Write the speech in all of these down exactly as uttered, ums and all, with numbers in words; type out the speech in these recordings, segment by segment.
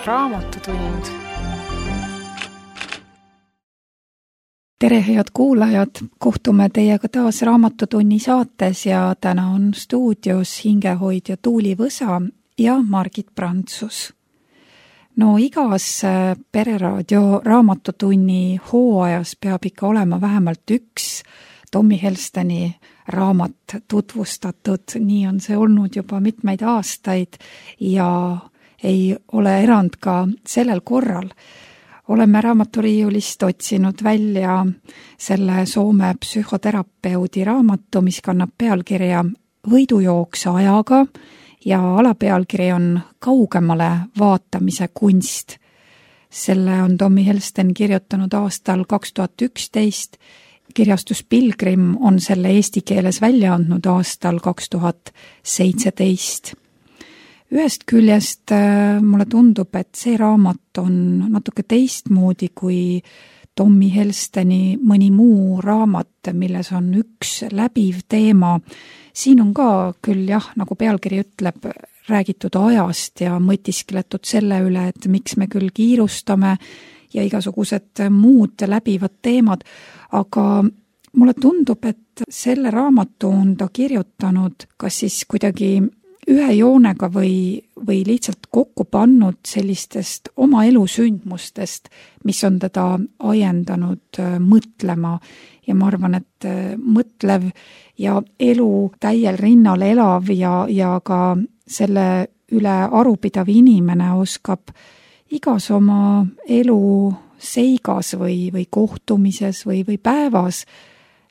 Raamatutund. Tere, head kuulajad! Kohtume teiega taas Raamatutunni saates ja täna on stuudios hingehoidja Tuuli Võsa ja Margit Prantsus. No igas Pereraadio Raamatutunni hooajas peab ikka olema vähemalt üks Tommy Helsteni raamat tutvustatud. Nii on see olnud juba mitmeid aastaid ja ei ole erand ka sellel korral. Oleme raamaturiiulist otsinud välja selle Soome psühhoterapeudi raamatu, mis kannab pealkirja Võidujooks ajaga ja alapealkiri on Kaugemale vaatamise kunst. Selle on Tommy Helsten kirjutanud aastal kaks tuhat üksteist. Kirjastus Pilgrim on selle eesti keeles välja andnud aastal kaks tuhat seitseteist. Ühest küljest mulle tundub, et see raamat on natuke teistmoodi kui Tommy Helsteni mõni muu raamat, milles on üks läbiv teema. Siin on ka küll jah, nagu pealkiri ütleb, räägitud ajast ja mõtiskletud selle üle, et miks me küll kiirustame ja igasugused muud läbivad teemad, aga mulle tundub, et selle raamatu on ta kirjutanud kas siis kuidagi ühe joonega või, või lihtsalt kokku pannud sellistest oma elusündmustest, mis on teda ajendanud mõtlema. Ja ma arvan, et mõtlev ja elu täiel rinnal elav ja, ja ka selle üle arupidav inimene oskab igas oma elu seigas või, või kohtumises või, või päevas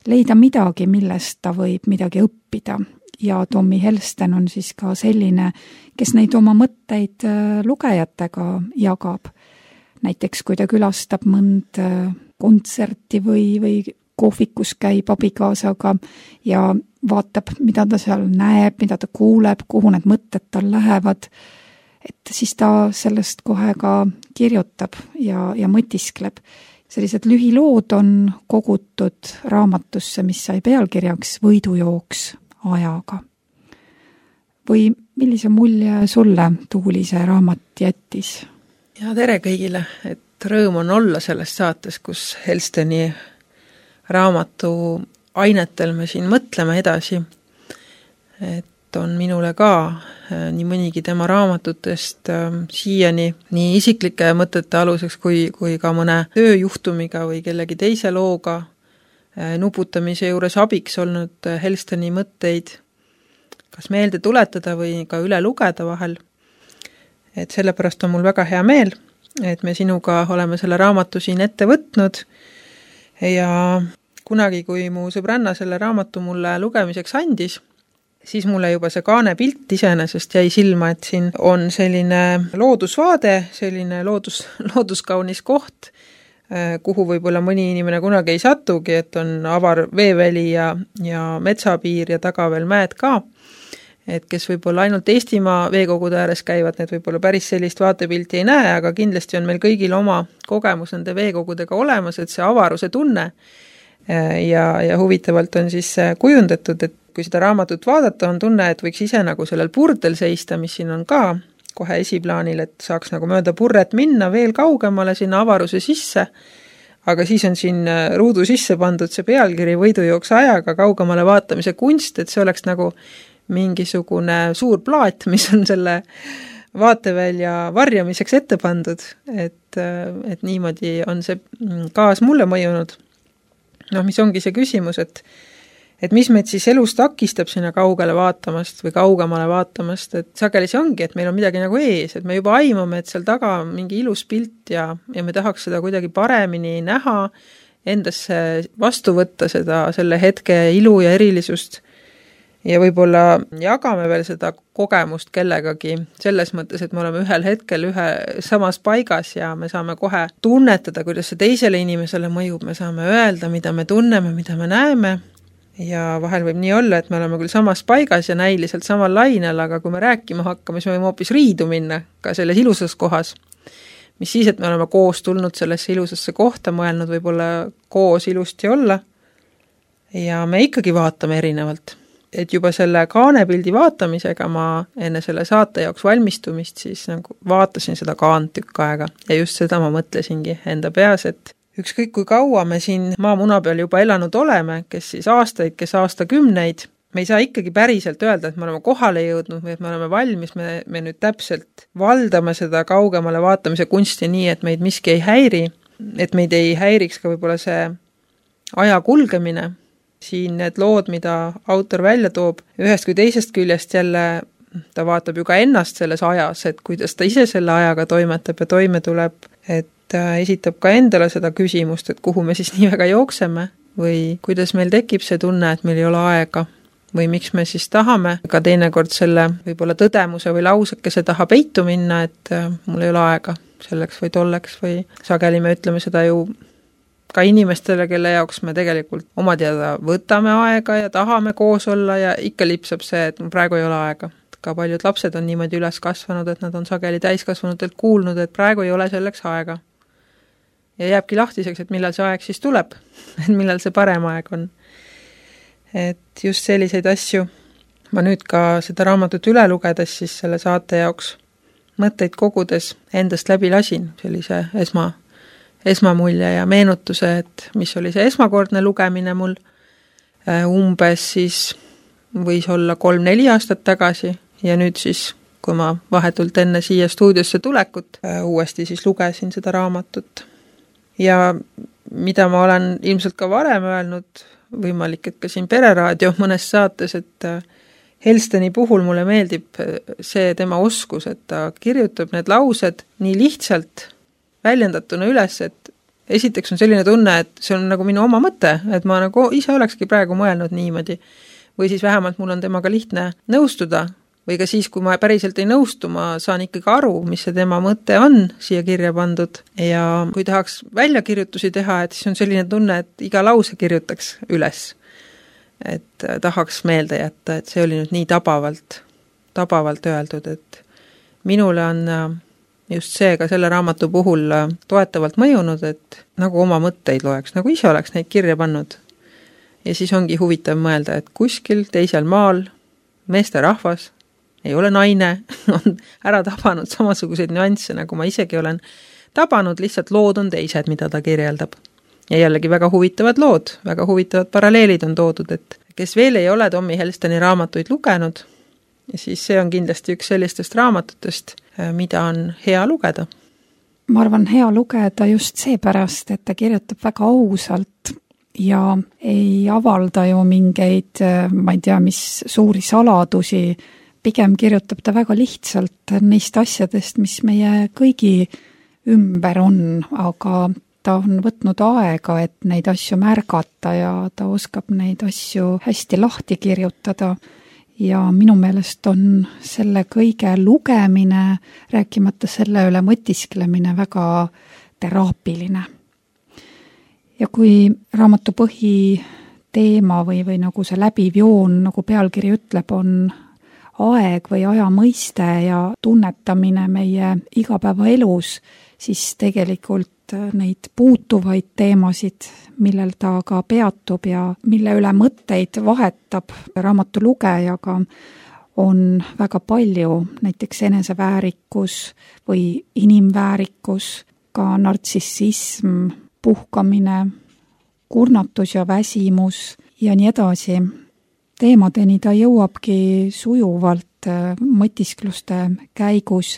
leida midagi, millest ta võib midagi õppida. Ja Tommy Helsten on siis ka selline, kes neid oma mõtteid lugejatega jagab. Näiteks kui ta külastab mõnd kontserti või, või kohvikus käib abikaasaga ja vaatab, mida ta seal näeb, mida ta kuuleb, kuhu need mõtted tal lähevad, et siis ta sellest kohe ka kirjutab ja, ja mõtiskleb. Sellised lühilood on kogutud raamatusse, mis sai pealkirjaks Võidujooks ajaga. Või millise mulje sulle Tuuli see raamat jättis? Ja tere kõigile, et rõõm on olla selles saates, kus Helsteni raamatu ainetel me siin mõtleme edasi. Et on minule ka nii mõnigi tema raamatutest siiani nii isiklike mõtete aluseks kui, kui ka mõne tööjuhtumiga või kellegi teise looga nuputamise juures abiks olnud Helsteni mõtteid kas meelde tuletada või ka üle lugeda vahel. Et sellepärast on mul väga hea meel, et me sinuga oleme selle raamatu siin ette võtnud ja kunagi, kui mu sõbranna selle raamatu mulle lugemiseks andis, siis mulle juba see kaane pilt iseenesest jäi silma, et siin on selline loodusvaade, selline loodus, looduskaunis koht, kuhu võib-olla mõni inimene kunagi ei satugi, et on avar veeväli ja, ja metsapiir ja taga veel mäed ka. Et kes võib-olla ainult Eestimaa veekogude ääres käivad, need võib-olla päris sellist vaatepilti ei näe, aga kindlasti on meil kõigil oma kogemus nende veekogudega olemas, et see avaruse tunne ja, ja huvitavalt on siis kujundatud, et kui seda raamatut vaadata, on tunne, et võiks ise nagu sellel purdel seista, mis siin on ka kohe esiplaanil, et saaks nagu mööda purret minna veel kaugemale sinna avaruse sisse, aga siis on siin ruudu sisse pandud see pealkiri Võidujooks ajaga kaugemale vaatamise kunst, et see oleks nagu mingisugune suur plaat, mis on selle vaatevälja varjamiseks ette pandud, et, et niimoodi on see kaas mulle mõjunud. Noh, mis ongi see küsimus, et et mis meid siis elus takistab sinna kaugele vaatamast või kaugemale vaatamast, et sageli see ongi, et meil on midagi nagu ees, et me juba aimame, et seal taga on mingi ilus pilt ja, ja me tahaks seda kuidagi paremini näha, endasse vastu võtta seda, selle hetke ilu ja erilisust ja võib-olla jagame veel seda kogemust kellegagi selles mõttes, et me oleme ühel hetkel ühe samas paigas ja me saame kohe tunnetada, kuidas see teisele inimesele mõjub, me saame öelda, mida me tunneme, mida me näeme. Ja vahel võib nii olla, et me oleme küll samas paigas ja näiliselt samal lainel, aga kui me rääkima hakkame, siis me võime hoopis riidu minna ka selles ilusas kohas. Mis siis, et me oleme koos tulnud sellesse ilusasse kohta, mõelnud võib-olla koos ilusti olla ja me ikkagi vaatame erinevalt. et juba selle kaanepildi vaatamisega ma enne selle saate jaoks valmistumist siis nagu vaatasin seda kaant tükk aega ja just seda ma mõtlesingi enda peas, et ükskõik kui kaua me siin maamuna peal juba elanud oleme, kes siis aastaid, kes aastakümneid, me ei saa ikkagi päriselt öelda, et me oleme kohale jõudnud või et me oleme valmis, me, me nüüd täpselt valdame seda kaugemale vaatamise kunsti nii, et meid miski ei häiri, et meid ei häiriks ka võib-olla see aja kulgemine. Siin need lood, mida autor välja toob, ühest kui teisest küljest jälle ta vaatab ju ka ennast selles ajas, et kuidas ta ise selle ajaga toimetab ja toime tuleb, et ta esitab ka endale seda küsimust, et kuhu me siis nii väga jookseme või kuidas meil tekib see tunne, et meil ei ole aega või miks me siis tahame ka teinekord selle võib-olla tõdemuse või lausekese taha peitu minna, et mul ei ole aega selleks või tolleks või sageli me ütleme seda ju ka inimestele, kelle jaoks me tegelikult oma teada võtame aega ja tahame koos olla ja ikka lipsab see, et praegu ei ole aega. Ka paljud lapsed on niimoodi üles kasvanud, et nad on sageli täiskasvanutelt kuulnud, et praegu ei ole selleks aega. Ja jääbki lahtiseks, et millal see aeg siis tuleb, et millal see parem aeg on. Et just selliseid asju ma nüüd ka seda raamatut üle lugedes siis selle saate jaoks mõtteid kogudes endast läbi lasin, sellise esma, esmamulje ja meenutuse, et mis oli see esmakordne lugemine mul umbes siis võis olla kolm-neli aastat tagasi ja nüüd siis, kui ma vahetult enne siia stuudiosse tulekut uuesti siis lugesin seda raamatut. Ja mida ma olen ilmselt ka varem öelnud, võimalik, et ka siin Pereraadio mõnes saates, et Helsteni puhul mulle meeldib see tema oskus, et ta kirjutab need laused nii lihtsalt väljendatuna üles, et esiteks on selline tunne, et see on nagu minu oma mõte, et ma nagu ise olekski praegu mõelnud niimoodi. Või siis vähemalt mul on temaga lihtne nõustuda, või ka siis, kui ma päriselt ei nõustu, ma saan ikkagi aru, mis see tema mõte on siia kirja pandud. Ja kui tahaks väljakirjutusi teha, et siis on selline tunne, et iga lause kirjutaks üles. Et tahaks meelde jätta, et see oli nüüd nii tabavalt, tabavalt öeldud, et minule on just see ka selle raamatu puhul toetavalt mõjunud, et nagu oma mõtteid loeks, nagu ise oleks neid kirja pannud. Ja siis ongi huvitav mõelda, et kuskil teisel maal meeste rahvas ei ole naine, on ära tabanud samasuguseid nüansse, nagu ma isegi olen tabanud, lihtsalt lood on teised, mida ta kirjeldab. Ja jällegi väga huvitavad lood, väga huvitavad paralleelid on toodud, et kes veel ei ole Tommy Helsteni raamatuid lugenud, ja siis see on kindlasti üks sellistest raamatutest, mida on hea lugeda. Ma arvan, hea lugeda just seepärast, et ta kirjutab väga ausalt ja ei avalda ju mingeid, ma ei tea, mis suuri saladusi, pigem kirjutab ta väga lihtsalt neist asjadest, mis meie kõigi ümber on, aga ta on võtnud aega, et neid asju märgata ja ta oskab neid asju hästi lahti kirjutada. Ja minu meelest on selle kõige lugemine, rääkimata selle üle mõtisklemine väga teraapiline. Ja kui raamatu põhiteema või, või nagu see läbiv joon, nagu pealkiri ütleb, on aeg või aja mõiste ja tunnetamine meie igapäevaelus, siis tegelikult neid puutuvaid teemasid, millel ta ka peatub ja mille üle mõtteid vahetab raamatu lugejaga, on väga palju, näiteks eneseväärikus või inimväärikus, ka nartsissism, puhkamine, kurnatus ja väsimus ja nii edasi. Teemadeni ta jõuabki sujuvalt mõtiskluste käigus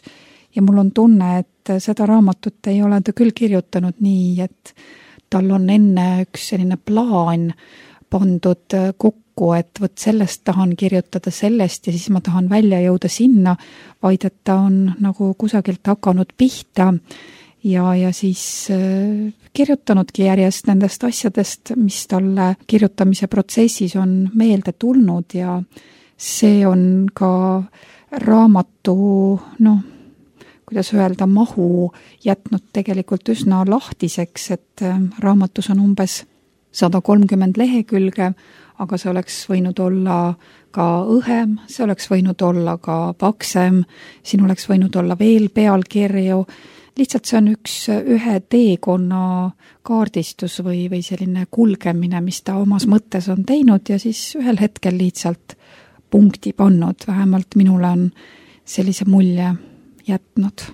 ja mul on tunne, et seda raamatut ei ole ta küll kirjutanud nii, et tal on enne üks selline plaan pandud kokku, et võt sellest tahan kirjutada sellest ja siis ma tahan välja jõuda sinna, vaid et ta on nagu kusagilt hakanud pihta ja, ja siis kirjutanudki järjest nendest asjadest, mis talle kirjutamise protsessis on meelde tulnud ja see on ka raamatu, noh, kuidas öelda, mahu jätnud tegelikult üsna lahtiseks, et raamatus on umbes sada kolmkümmend lehekülge, aga see oleks võinud olla ka õhem, see oleks võinud olla ka paksem, siin oleks võinud olla veel pealkirju. Lihtsalt see on üks ühe teekonna kaardistus või, või selline kulgemine, mis ta omas mõttes on teinud ja siis ühel hetkel lihtsalt punkti pannud, vähemalt minule on sellise mulje jätnud.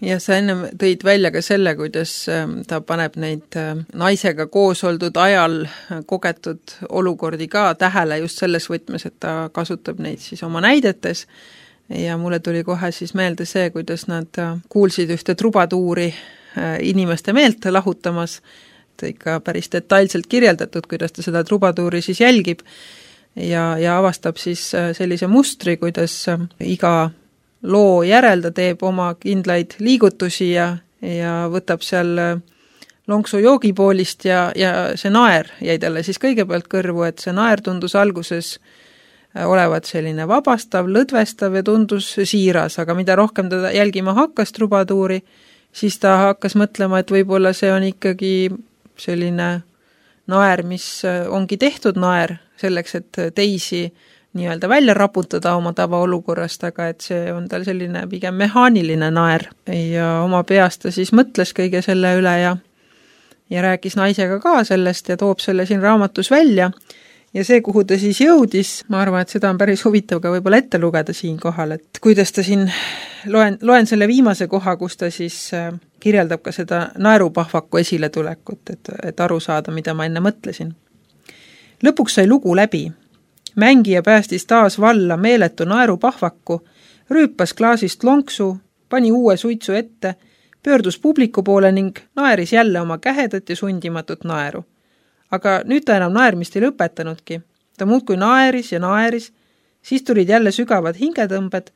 Ja sa enne tõid välja ka selle, kuidas ta paneb neid naisega koos oldud ajal kogetud olukordi ka tähele just selles võtmes, et ta kasutab neid siis oma näidetes ja mulle tuli kohe siis meelde see, kuidas nad kuulsid ühte trubatuuri inimeste meelt lahutamas, ikka päris detailselt kirjeldatud, kuidas ta seda trubatuuri siis jälgib ja, ja avastab siis sellise mustri, kuidas iga loo järel ta teeb oma kindlaid liigutusi ja, ja võtab seal lonksu joogipoolist ja, ja see naer jäi talle siis kõigepealt kõrvu, et see naer tundus alguses olevat selline vabastav, lõdvestav ja tundus siiras, aga mida rohkem ta jälgima hakkas trubatuuri, siis ta hakkas mõtlema, et võib-olla see on ikkagi selline naer, mis ongi tehtud naer selleks, et teisi nii-öelda välja raputada oma tavaolukorrast, aga et see on tal selline pigem mehaaniline naer ja oma peast ta siis mõtles kõige selle üle ja, ja rääkis naisega ka sellest ja toob selle siin raamatus välja ja see, kuhu ta siis jõudis, ma arvan, et seda on päris huvitav ka võib-olla ette lugeda siin kohal, et kuidas ta siin, loen, loen selle viimase koha, kus ta siis kirjeldab ka seda naerupahvaku esiletulekut, et, et aru saada, mida ma enne mõtlesin. Lõpuks sai lugu läbi. Mängija päästis taas valla meeletu naerupahvaku, rüüpas klaasist lonksu, pani uue suitsu ette, pöördus publiku poole ning naeris jälle oma kähedat ja sundimatut naeru. Aga nüüd ta enam naermist ei lõpetanudki. Ta muudkui naeris ja naeris, siis tulid jälle sügavad hingetõmbed,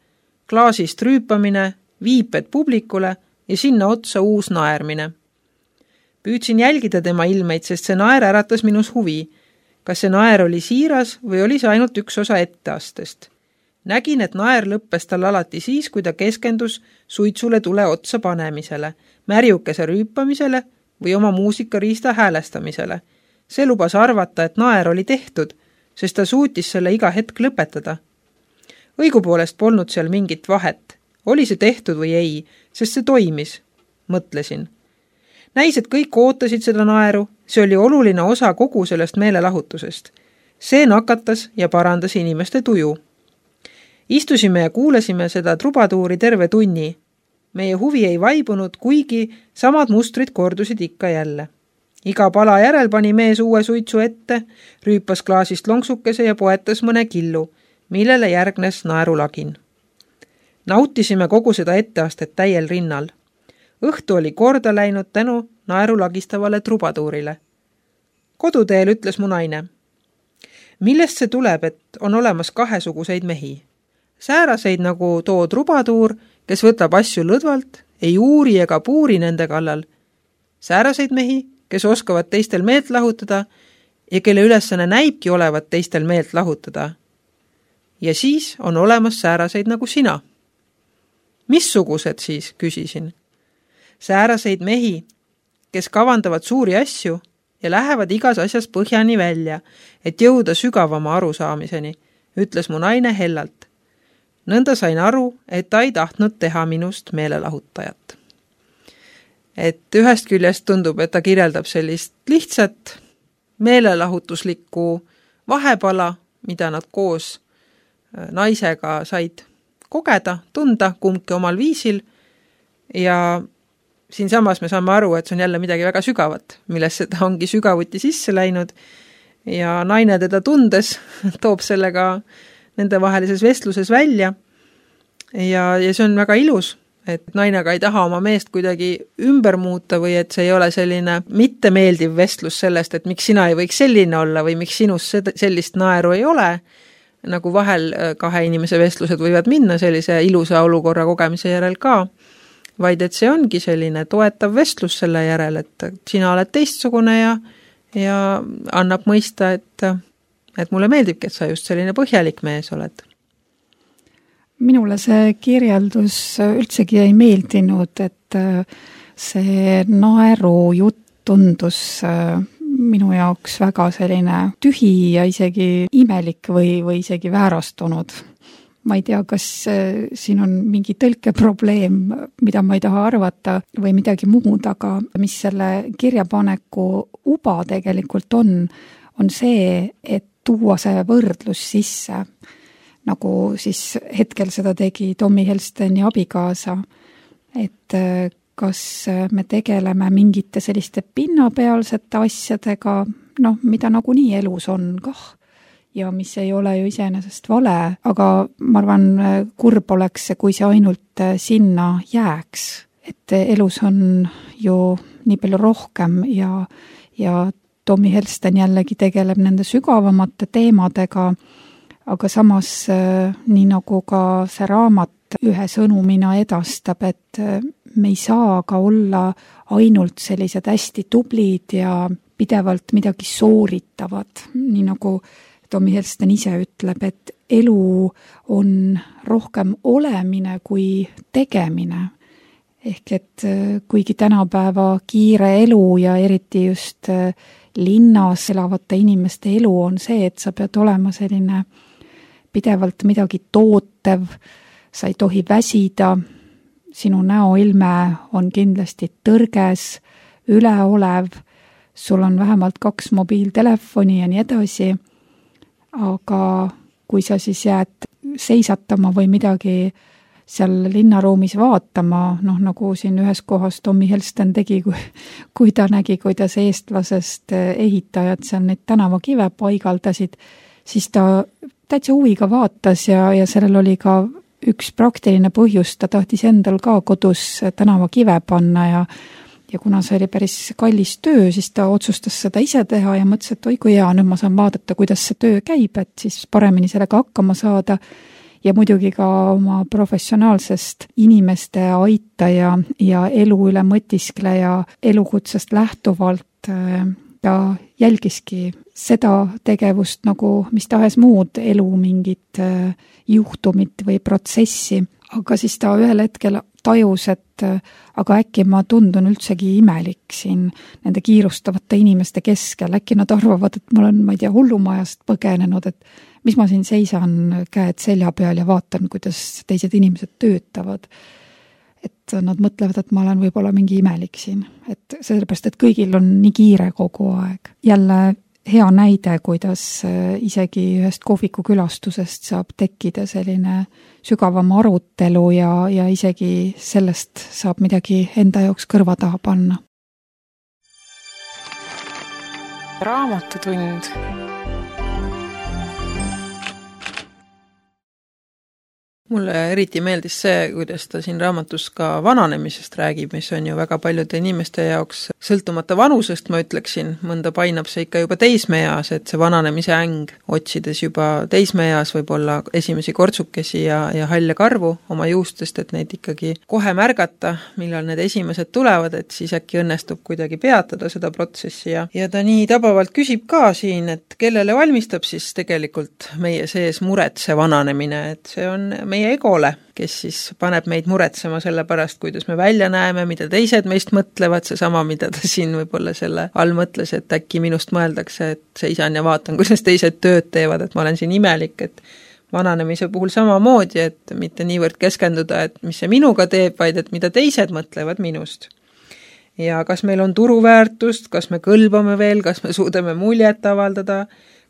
klaasist rüüpamine, viiped publikule ja sinna otsa uus naermine. Püüdsin jälgida tema ilmeid, sest see naer äratas minus huvi. Kas see naer oli siiras või oli see ainult üks osa etteastest? Nägin, et naer lõppes tal alati siis, kui ta keskendus suitsule tule otsa panemisele, märjukese rüüpamisele või oma muusikariista häälestamisele. See lubas arvata, et naer oli tehtud, sest ta suutis selle iga hetk lõpetada. Õigupoolest polnud seal mingit vahet. Oli see tehtud või ei, sest see toimis, mõtlesin. Näis, et kõik ootasid seda naeru, see oli oluline osa kogu sellest meelelahutusest. See nakatas ja parandas inimeste tuju. Istusime ja kuulesime seda trubatuuri terve tunni. Meie huvi ei vaibunud, kuigi samad mustrid kordusid ikka jälle. Iga pala järel pani mees uue suitsu ette, rüüpas klaasist lonksukese ja poetas mõne killu, millele järgnes naerulagin. Nautisime kogu seda etteastet täiel rinnal. Õhtu oli korda läinud tänu naerulagistavale trubatuurile. Koduteel ütles mu naine. Millest see tuleb, et on olemas kahesuguseid mehi? Sääraseid nagu too trubatuur, kes võtab asju lõdvalt, ei uuri ega puuri nende kallal. Sääraseid mehi, kes oskavad teistel meelt lahutada ja kelle ülesanne näibki olevat teistel meelt lahutada. Ja siis on olemas sääraseid nagu sina. Missugused siis, küsisin. Sääraseid mehi, kes kavandavad suuri asju ja lähevad igas asjas põhjani välja, et jõuda sügavama arusaamiseni, ütles mu naine hellalt. Nõnda sain aru, et ta ei tahtnud teha minust meelelahutajat. Et ühest küljest tundub, et ta kirjeldab sellist lihtsat meelelahutuslikku vahepala, mida nad koos naisega said kogeda, tunda kumbki omal viisil ja siin samas me saame aru, et see on jälle midagi väga sügavat, millesse ta ongi sügavuti sisse läinud ja naine teda tundes toob sellega nendevahelises vestluses välja ja, ja see on väga ilus, et naine ka ei taha oma meest kuidagi ümber muuta või et see ei ole selline mittemeeldiv vestlus sellest, et miks sina ei võiks selline olla või miks sinus sellist naeru ei ole, nagu vahel kahe inimese vestlused võivad minna sellise ilusa olukorra kogemise järel ka, vaid et see ongi selline toetav vestlus selle järel, et sina oled teistsugune ja, ja annab mõista, et, et mulle meeldibki, et sa just selline põhjalik mees oled. Minule see kirjeldus üldsegi ei meeldinud, et see naeru jutt tundus minu jaoks väga selline tühi ja isegi imelik või, või isegi väärastunud. Ma ei tea, kas siin on mingi tõlkeprobleem, mida ma ei taha arvata või midagi muud, aga mis selle kirjapaneku uba tegelikult on, on see, et tuua see võrdlus sisse. nagu siis hetkel seda tegi Tommy Helsteni abikaasa, et kas me tegeleme mingite selliste pinnapealsete asjadega, noh, mida nagunii elus on kah, ja mis ei ole ju iseenesest vale, aga ma arvan, kurb oleks, kui see ainult sinna jääks. Et elus on ju nii palju rohkem ja, ja Tommy Helsten jällegi tegeleb nende sügavamate teemadega, aga samas nii nagu ka see raamat ühe sõnumina edastab, et me ei saa ka olla ainult sellised hästi tublid ja pidevalt midagi sooritavad, nii nagu Tommy Helsten ise ütleb, et elu on rohkem olemine kui tegemine. Ehk et kuigi tänapäeva kiire elu ja eriti just linnas elavate inimeste elu on see, et sa pead olema selline pidevalt midagi tootev, sa ei tohi väsida, sinu näoilme on kindlasti tõrges, üleolev, sul on vähemalt kaks mobiiltelefoni ja nii edasi, aga kui sa siis jääd seisatama või midagi seal linnaruumis vaatama, noh nagu siin ühes kohas Tommy Helsten tegi, kui, kui ta nägi, kuidas eestlasest ehitajad seal neid tänavakive paigaldasid, siis ta täitsa huviga vaatas ja, ja sellel oli ka üks praktiline põhjus, ta tahtis endal ka kodus tänavakive panna ja Ja kuna see oli päris kallis töö, siis ta otsustas seda ise teha ja mõtles, et oi kui hea, nüüd ma saan vaadata, kuidas see töö käib, et siis paremini sellega hakkama saada ja muidugi ka oma professionaalsest inimeste aitaja ja elu üle mõtiskleja elukutsest lähtuvalt ta jälgiski seda tegevust nagu mis tahes muud elu mingit juhtumit või protsessi, aga siis ta ühel hetkel tajus, et aga äkki ma tundun üldsegi imelik siin nende kiirustavate inimeste keskel, äkki nad arvavad, et ma olen, ma ei tea, hullumajast põgenenud, et mis ma siin seisan käed selja peal ja vaatan, kuidas teised inimesed töötavad. Et nad mõtlevad, et ma olen võib-olla mingi imelik siin, et sellepärast, et kõigil on nii kiire kogu aeg. Jälle hea näide, kuidas isegi ühest kohviku külastusest saab tekkida selline sügavam arutelu ja, ja isegi sellest saab midagi enda jaoks kõrva taha panna. Raamatutund. Mulle eriti meeldis see, kuidas ta siin raamatus ka vananemisest räägib, mis on ju väga paljude inimeste jaoks sõltumata vanusest, ma ütleksin, mõnda painab see ikka juba teismeeas, et see vananemise äng, otsides juba teismeeas võib-olla esimesi kortsukesi ja, ja halle karvu oma juustest, et neid ikkagi kohe märgata, millal need esimesed tulevad, et siis äkki õnnestub kuidagi peatada seda protsessi ja, ja ta nii tabavalt küsib ka siin, et kellele valmistab siis tegelikult meie sees muret see vananemine, et see on meie egole, kes siis paneb meid muretsema selle pärast, kuidas me välja näeme, mida teised meist mõtlevad, see sama, mida ta siin võib-olla selle all mõtles, et äkki minust mõeldakse, et seisan ja vaatan, kuidas teised tööd teevad, et ma olen siin imelik, et vananemise puhul samamoodi, et mitte niivõrd keskenduda, et mis see minuga teeb, vaid et mida teised mõtlevad minust. Ja kas meil on turuväärtust, kas me kõlbame veel, kas me suudame muljet avaldada,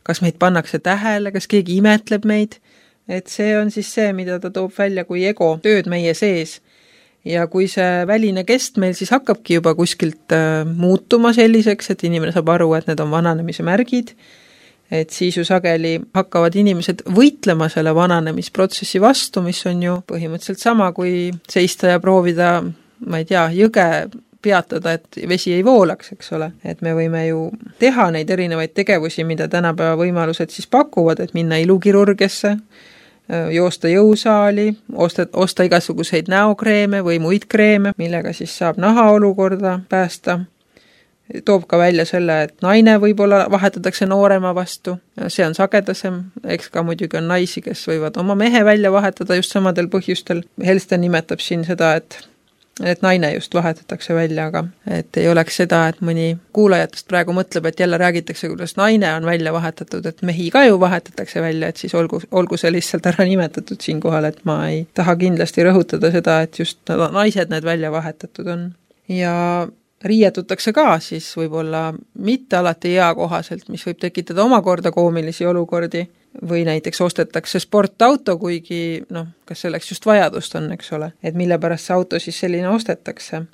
kas meid pannakse tähele, kas keegi imetleb meid, et see on siis see, mida ta toob välja kui ego tööd meie sees. Ja kui see väline kest meil siis hakkabki juba kuskilt muutuma selliseks, et inimene saab aru, et need on vananemise märgid, et siis ju sageli hakkavad inimesed võitlema selle vananemisprotsessi vastu, mis on ju põhimõtteliselt sama, kui seista ja proovida, ma ei tea, jõge peatada, et vesi ei voolaks, eks ole. Et me võime ju teha neid erinevaid tegevusi, mida tänapäeva võimalused siis pakuvad, et minna ilukirurgesse, joosta jõusaali, osta, osta igasuguseid näokreeme või muid kreeme, millega siis saab naha olukorda päästa. Toob ka välja selle, et naine võib-olla vahetatakse noorema vastu. See on sagedasem, eks ka muidugi on naisi, kes võivad oma mehe välja vahetada just samadel põhjustel. Helsten nimetab siin seda, et et naine just vahetatakse välja, aga et ei oleks seda, et mõni kuulajatest praegu mõtleb, et jälle räägitakse, kuidas naine on välja vahetatud, et mehi ka ju vahetatakse välja, et siis olgu, olgu see lihtsalt ära nimetatud siin kohal, et ma ei taha kindlasti rõhutada seda, et just naised need välja vahetatud on. Ja riietutakse ka siis võib-olla mitte alati eakohaselt, mis võib tekitada omakorda koomilisi olukordi, või näiteks ostetakse sportauto, kuigi noh, kas selleks just vajadust on, eks ole, et mille pärast see auto siis selline ostetakse.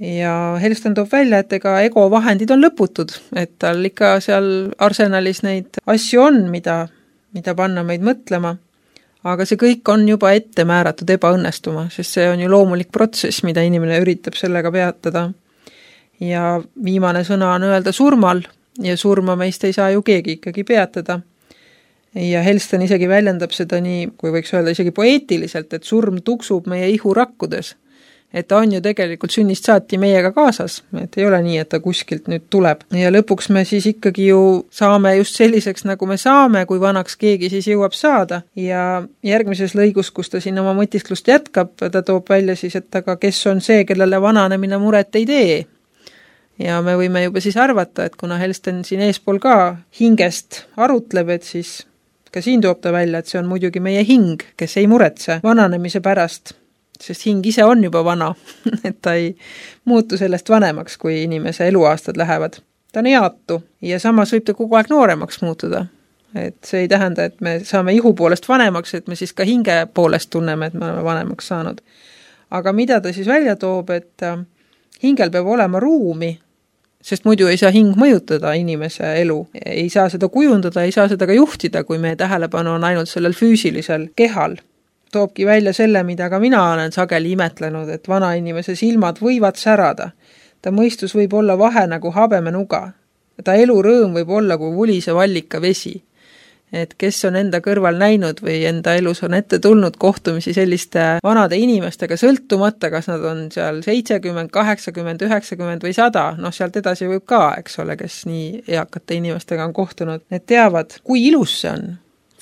Ja Hellsten toob välja, et ega ego vahendid on lõputud, et tal ikka seal arsenalis neid asju on, mida, mida panna meid mõtlema, aga see kõik on juba ette määratud ebaõnnestuma, sest see on ju loomulik protsess, mida inimene üritab sellega peatada. Ja viimane sõna on öelda surmal ja surma meist ei saa ju keegi ikkagi peatada. Ja Hellsten isegi väljendab seda nii, kui võiks öelda isegi poeetiliselt, et surm tuksub meie ihu rakkudes. Et ta on ju tegelikult sünnist saati meiega kaasas, et ei ole nii, et ta kuskilt nüüd tuleb. Ja lõpuks me siis ikkagi ju saame just selliseks, nagu me saame, kui vanaks keegi siis jõuab saada. Ja järgmises lõigus, kus ta siin oma mõtisklust jätkab, ta toob välja siis, et aga kes on see, kellele vananemine muret ei tee. Ja me võime juba siis arvata, et kuna Hellsten siin eespool ka hingest arutleb, et siis ka siin toob ta välja, et see on muidugi meie hing, kes ei muretse vananemise pärast, sest hing ise on juba vana, et ta ei muutu sellest vanemaks, kui inimese eluaastad lähevad. Ta on eatu ja samas võib ta kogu aeg nooremaks muutuda. Et see ei tähenda, et me saame ihu poolest vanemaks, et me siis ka hinge poolest tunneme, et me oleme vanemaks saanud. Aga mida ta siis välja toob, et hingel peab olema ruumi, sest muidu ei saa hing mõjutada inimese elu. Ei saa seda kujundada, ei saa seda ka juhtida, kui meie tähelepanu on ainult sellel füüsilisel kehal. Toobki välja selle, mida ka mina olen sageli imetlenud, et vana inimese silmad võivad särada. Ta mõistus võib olla vahe nagu habemenuga. Ta elu rõõm võib olla kui vulise vallika vesi. Et kes on enda kõrval näinud või enda elus on ette tulnud kohtumisi selliste vanade inimestega sõltumata, kas nad on seal seitsekümmend, kaheksakümmend, üheksakümmend või sada, noh sealt edasi võib ka, eks ole, kes nii eakate inimestega on kohtunud. Need teavad, kui ilus see on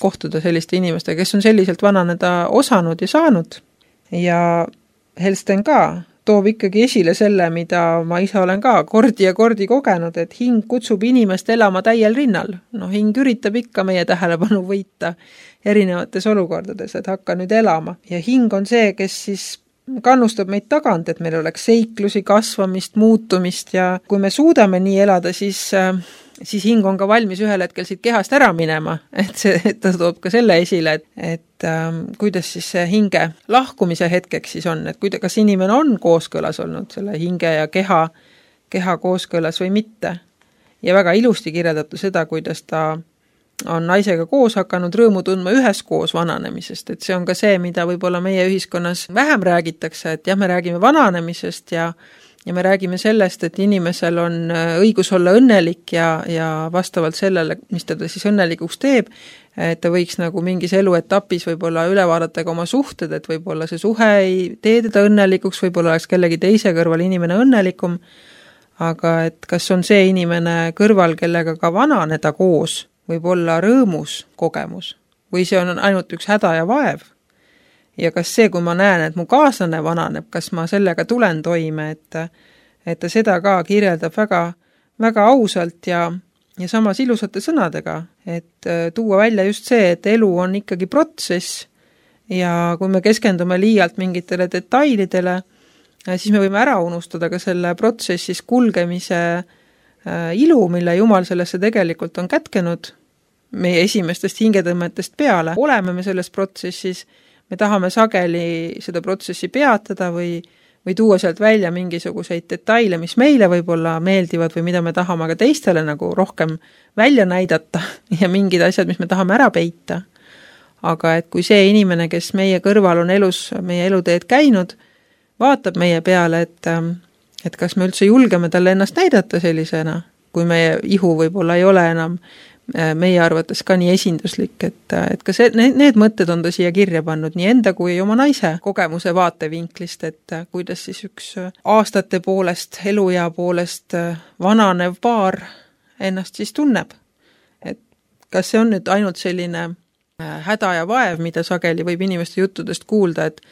kohtuda selliste inimestega, kes on selliselt vananeda osanud ja saanud. Ja Hellsten ka toob ikkagi esile selle, mida ma ise olen ka kordi ja kordi kogenud, et hing kutsub inimest elama täiel rinnal. No hing üritab ikka meie tähelepanu võita erinevates olukordades, et hakka nüüd elama. Ja hing on see, kes siis kannustab meid tagant, et meil oleks seiklusi, kasvamist, muutumist ja kui me suudame nii elada, siis, siis hing on ka valmis ühel hetkel siit kehast ära minema. Et see, et ta toob ka selle esile, et, et ähm, kuidas siis see hinge lahkumise hetkeks siis on, et kuida, kas inimene on kooskõlas olnud selle hinge ja keha, keha kooskõlas või mitte. Ja väga ilusti kirjeldatu seda, kuidas ta on naisega koos hakanud rõõmu tundma üheskoos vananemisest, et see on ka see, mida võib-olla meie ühiskonnas vähem räägitakse, et jah, me räägime vananemisest ja, ja me räägime sellest, et inimesel on õigus olla õnnelik ja, ja vastavalt sellele, mis teda siis õnnelikuks teeb, et ta võiks nagu mingis eluetapis võib-olla üle vaadata ka oma suhted, et võib-olla see suhe ei tee teda õnnelikuks, võib-olla oleks kellegi teise kõrval inimene õnnelikum, aga et kas on see inimene kõrval, kellega ka vananeda koos, võib olla rõõmus kogemus või see on ainult üks häda ja vaev. Ja kas see, kui ma näen, et mu kaaslane vananeb, kas ma sellega tulen toime, et, et ta seda ka kirjeldab väga, väga ausalt ja, ja samas ilusate sõnadega, et tuua välja just see, et elu on ikkagi protsess ja kui me keskendume liialt mingitele detailidele, siis me võime ära unustada ka selle protsessis kulgemise ilu, mille Jumal sellesse tegelikult on kätkenud meie esimestest hingetõmmetest peale. Oleme me selles protsessis, me tahame sageli seda protsessi peatada või, või tuua sealt välja mingisuguseid detaile, mis meile võib-olla meeldivad või mida me tahame aga teistele nagu rohkem välja näidata ja mingid asjad, mis me tahame ära peita. Aga et kui see inimene, kes meie kõrval on elus, meie eluteed käinud, vaatab meie peale, et et kas me üldse julgeme talle ennast näidata sellisena, kui meie ihu võib-olla ei ole enam meie arvates ka nii esinduslik, et, et ka see, need, need mõtted on ta siia kirja pannud nii enda kui oma naise kogemuse vaatevinklist, et kuidas siis üks aastate poolest, eluea poolest vananev paar ennast siis tunneb. Et kas see on nüüd ainult selline häda ja vaev, mida sageli võib inimeste juttudest kuulda, et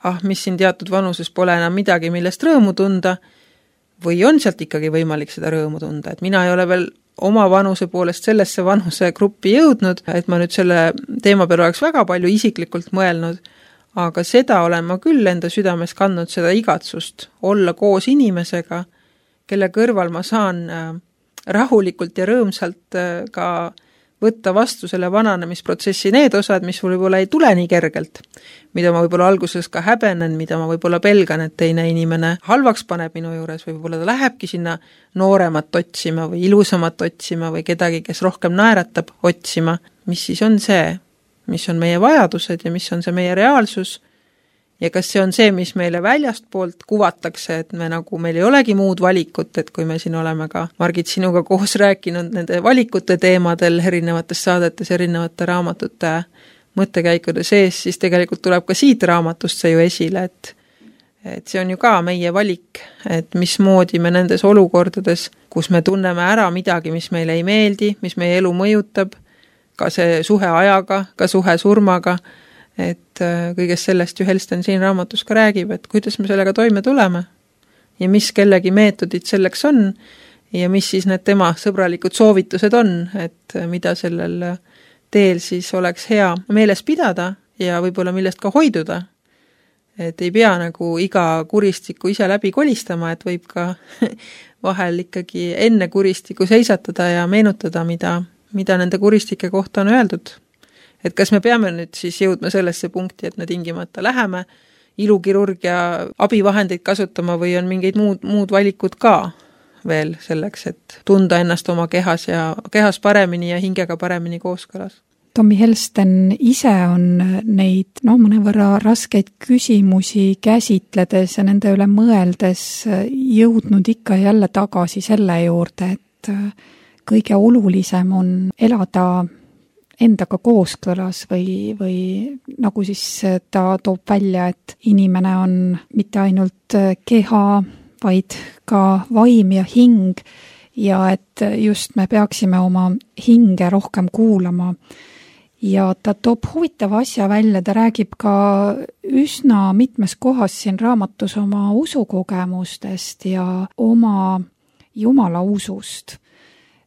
ah, mis siin teatud vanuses pole enam midagi, millest rõõmu tunda, või on sealt ikkagi võimalik seda rõõmu tunda, et mina ei ole veel oma vanuse poolest sellesse vanuse gruppi jõudnud, et ma nüüd selle teema peale oleks väga palju isiklikult mõelnud, aga seda olen ma küll enda südames kandnud, seda igatsust olla koos inimesega, kelle kõrval ma saan rahulikult ja rõõmsalt ka võtta vastu selle vananemisprotsessi need osad, mis võib-olla ei tule nii kergelt, mida ma võib-olla alguses ka häbenen, mida ma võib-olla pelgan, et teine inimene halvaks paneb minu juures või võib-olla ta lähebki sinna nooremat otsima või ilusamat otsima või kedagi, kes rohkem naeratab otsima, mis siis on see, mis on meie vajadused ja mis on see meie reaalsus ja kas see on see, mis meile väljast poolt kuvatakse, et me nagu, meil ei olegi muud valikut, et kui me siin oleme ka, Margit, sinuga koos rääkinud nende valikute teemadel erinevates saadetes, erinevate raamatute mõttekäikude sees, siis tegelikult tuleb ka siit raamatust see ju esile, et et see on ju ka meie valik, et mismoodi me nendes olukordades, kus me tunneme ära midagi, mis meile ei meeldi, mis meie elu mõjutab, ka see suhe ajaga, ka suhe surmaga, et kõigest sellest ju Helsten siin raamatus ka räägib, et kuidas me sellega toime tuleme ja mis kellegi meetodid selleks on ja mis siis need tema sõbralikud soovitused on, et mida sellel teel siis oleks hea meeles pidada ja võib-olla millest ka hoiduda. Et ei pea nagu iga kuristiku ise läbi kolistama, et võib ka vahel ikkagi enne kuristiku seisatada ja meenutada, mida, mida nende kuristike kohta on öeldud. Et kas me peame nüüd siis jõudma sellesse punkti, et me tingimata läheme ilukirurgia abivahendeid kasutama või on mingeid muud, muud valikud ka veel selleks, et tunda ennast oma kehas ja kehas paremini ja hingega paremini kooskõlas. Tommy Helsten ise on neid no, mõnevõrra raskeid küsimusi käsitledes ja nende üle mõeldes jõudnud ikka jälle tagasi selle juurde, et kõige olulisem on elada endaga kooskõlas või, või nagu siis ta toob välja, et inimene on mitte ainult keha, vaid ka vaim ja hing ja et just me peaksime oma hinge rohkem kuulama. Ja ta toob huvitava asja välja, ta räägib ka üsna mitmes kohas siin raamatus oma usukogemustest ja oma Jumala usust,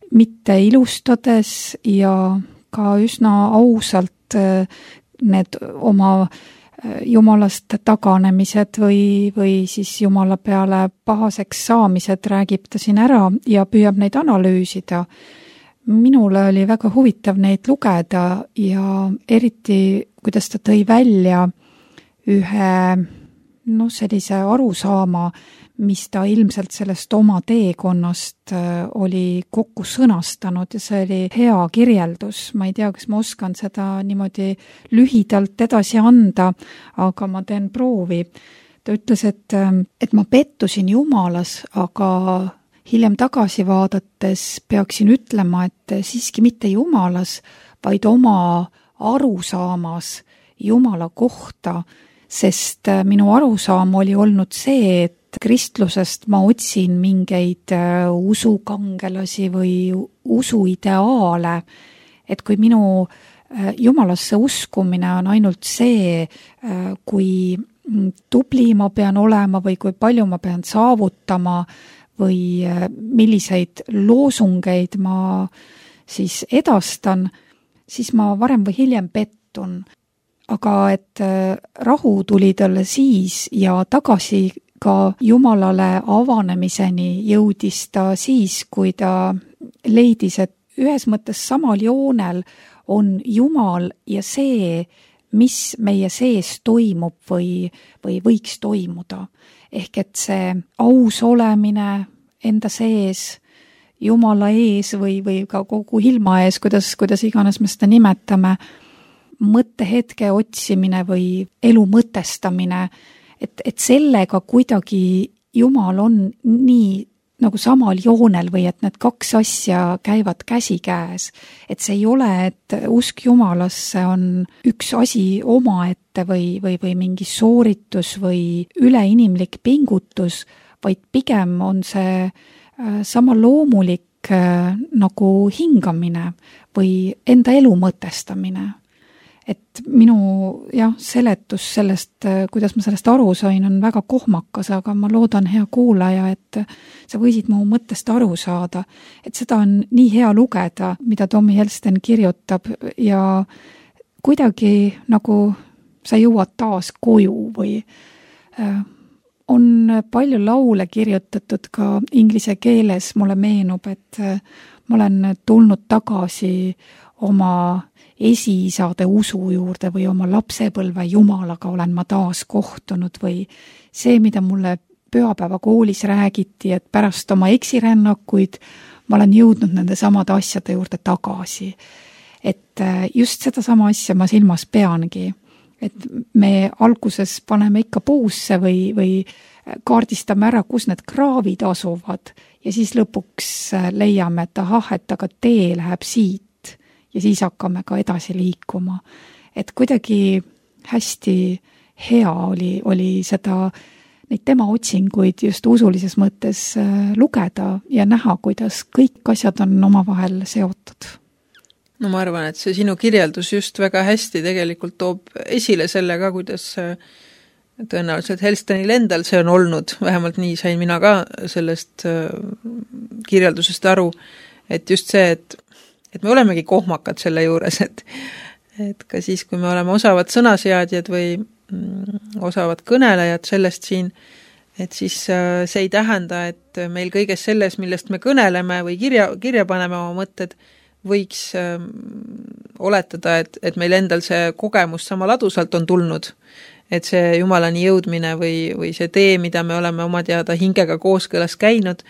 mitte ilustades ja ka üsna ausalt need oma Jumalast taganemised või, või siis Jumala peale pahaseks saamised räägib ta siin ära ja püüab neid analüüsida. Minule oli väga huvitav neid lugeda ja eriti, kuidas ta tõi välja ühe no, sellise arusaama, mis ta ilmselt sellest oma teekonnast oli kokku sõnastanud ja see oli hea kirjeldus. Ma ei tea, kas ma oskan seda niimoodi lühidalt edasi anda, aga ma teen proovi. Ta ütles, et, et ma pettusin Jumalas, aga hiljem tagasi vaadates peaksin ütlema, et siiski mitte Jumalas, vaid oma arusaamas Jumala kohta, sest minu arusaam oli olnud see, et kristlusest ma otsin mingeid usukangelasi või usuideaale, et kui minu Jumalasse uskumine on ainult see, kui tubli ma pean olema või kui palju ma pean saavutama või milliseid loosungeid ma siis edastan, siis ma varem või hiljem pettun. Aga et rahu tuli talle siis ja tagasi ka Jumalale avanemiseni jõudis ta siis, kui ta leidis, et ühes mõttes samal joonel on Jumal ja see, mis meie sees toimub või, või võiks toimuda. Ehk et see aus olemine enda sees, Jumala ees või, või ka kogu ilma ees, kuidas, kuidas iganes me seda nimetame, mõttehetke otsimine või elu mõtestamine, et, et sellega kuidagi Jumal on nii nagu samal joonel või et need kaks asja käivad käsikäes. Et see ei ole, et usk Jumalasse on üks asi omaette või, või, või mingi sooritus või üleinimlik pingutus, vaid pigem on see sama loomulik nagu hingamine või enda elu mõtestamine. Et minu jah, seletus sellest, kuidas ma sellest aru sain, on väga kohmakas, aga ma loodan, hea kuulaja, et sa võisid mu mõttest aru saada. Et seda on nii hea lugeda, mida Tommy Helsten kirjutab ja kuidagi nagu sa jõuad taas koju või äh, on palju laule kirjutatud ka inglise keeles, mulle meenub, et ma olen tulnud tagasi oma esiisade usu juurde või oma lapsepõlve jumalaga olen ma taas kohtunud või see, mida mulle pühapäeva koolis räägiti, et pärast oma eksirännakuid ma olen jõudnud nende samade asjade juurde tagasi. Et just seda sama asja ma silmas peangi, et me alguses paneme ikka puusse või, või kaardistame ära, kus need kraavid asuvad ja siis lõpuks leiame, et ahah, et aga tee läheb siit ja siis hakkame ka edasi liikuma. Et kuidagi hästi hea oli, oli seda, neid tema otsinguid just usulises mõttes lugeda ja näha, kuidas kõik asjad on omavahel seotud. No ma arvan, et see sinu kirjeldus just väga hästi tegelikult toob esile selle ka, kuidas tõenäoliselt Helstonil endal see on olnud, vähemalt nii sain mina ka sellest kirjeldusest aru, et just see, et, et me olemegi kohmakad selle juures, et, et ka siis, kui me oleme osavad sõnaseadjad või osavad kõnelejad sellest siin, et siis see ei tähenda, et meil kõiges selles, millest me kõneleme või kirja, kirja paneme oma mõtted, võiks äh, oletada, et, et meil endal see kogemus sama ladusalt on tulnud, et see Jumalani jõudmine või, või see tee, mida me oleme oma teada hingega kooskõlas käinud,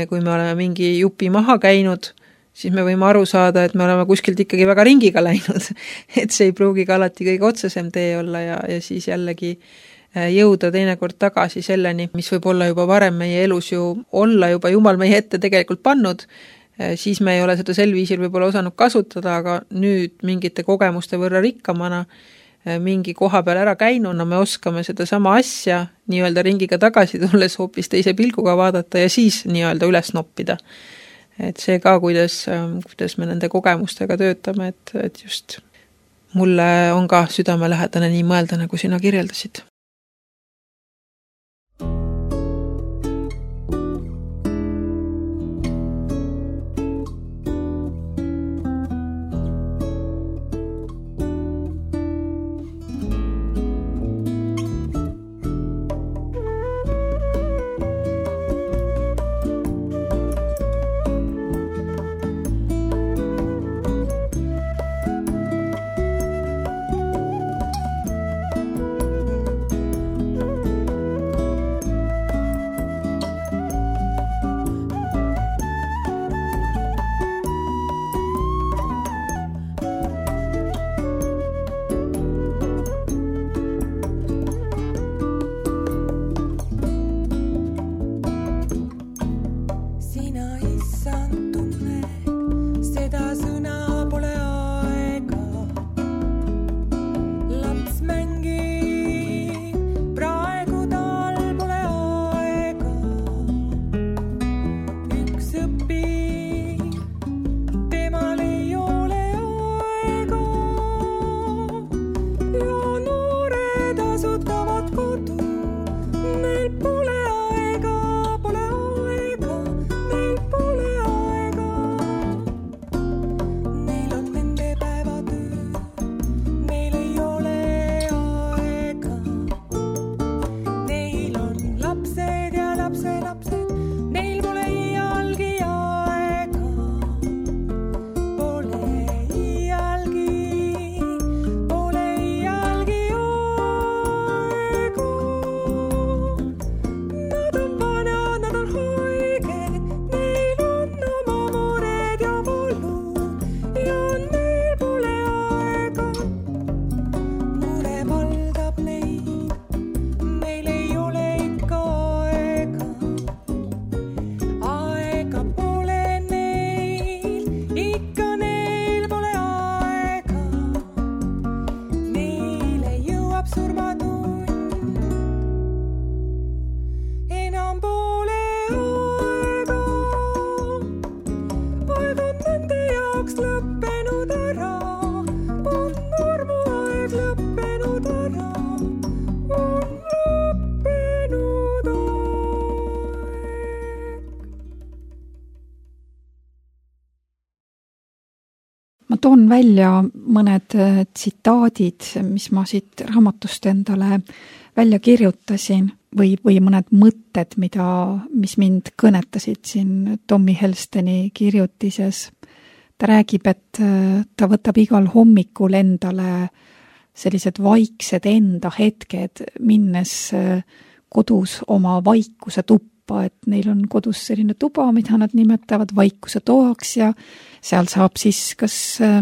kui me oleme mingi jupi maha käinud, siis me võime aru saada, et me oleme kuskilt ikkagi väga ringiga läinud, et see ei pruugi ka alati kõige otsesem tee olla ja, ja siis jällegi jõuda teinekord tagasi selleni, mis võib olla juba varem meie elus ju olla juba Jumal meie ette tegelikult pannud, siis me ei ole seda sel viisil võib-olla osanud kasutada, aga nüüd mingite kogemuste võrra rikkamana mingi koha peal ära käinuna me oskame seda sama asja nii-öelda ringiga tagasi tulles hoopis teise pilguga vaadata ja siis nii-öelda üles noppida. Et see ka, kuidas, kuidas me nende kogemustega töötame, et, et just mulle on ka südamelähedane nii mõelda, nagu sina kirjeldasid. Toon välja mõned tsitaadid, mis ma siit raamatust endale välja kirjutasin. või, või mõned mõtted, mida, mis mind kõnetasid siin Tommy Helsteni kirjutises. Ta räägib, et ta võtab igal hommikul endale sellised vaiksed enda hetked, minnes kodus oma vaikuse tuppa, et neil on kodus selline tuba, mida nad nimetavad vaikuse toaks ja seal saab siis kas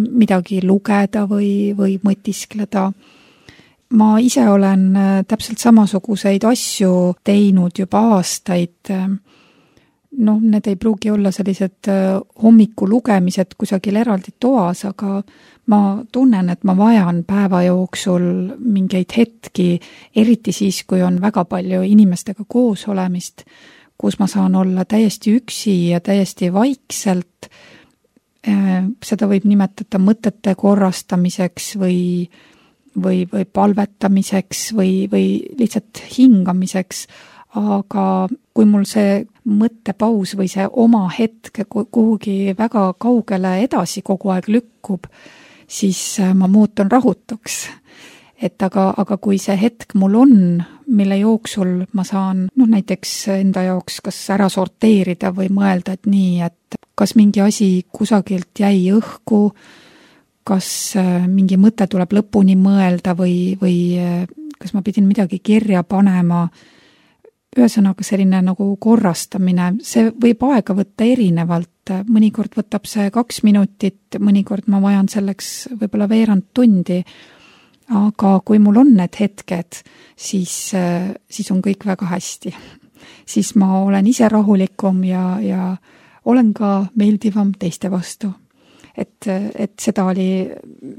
midagi lugeda või, või mõtiskleda. Ma ise olen täpselt samasuguseid asju teinud juba aastaid. Noh, need ei pruugi olla sellised hommiku lugemised kusagil eraldi toas, aga ma tunnen, et ma vajan päeva jooksul mingeid hetki, eriti siis, kui on väga palju inimestega koos olemist, kus ma saan olla täiesti üksi ja täiesti vaikselt. Seda võib nimetada mõtete korrastamiseks või, või, või palvetamiseks või, või lihtsalt hingamiseks. Aga kui mul see mõttepaus või see oma hetk kuhugi väga kaugele edasi kogu aeg lükkub, siis ma muutun rahutuks. Et aga, aga kui see hetk mul on, mille jooksul ma saan noh, näiteks enda jaoks kas ära sorteerida või mõelda, et nii, et kas mingi asi kusagilt jäi õhku, kas mingi mõte tuleb lõpuni mõelda või, või kas ma pidin midagi kirja panema. Ühesõnaga selline nagu korrastamine, see võib aega võtta erinevalt, mõnikord võtab see kaks minutit, mõnikord ma vajan selleks võib-olla veerand tundi, aga kui mul on need hetked, siis, siis on kõik väga hästi. Siis ma olen ise rahulikum ja, ja olen ka meeldivam teiste vastu. Et, et seda oli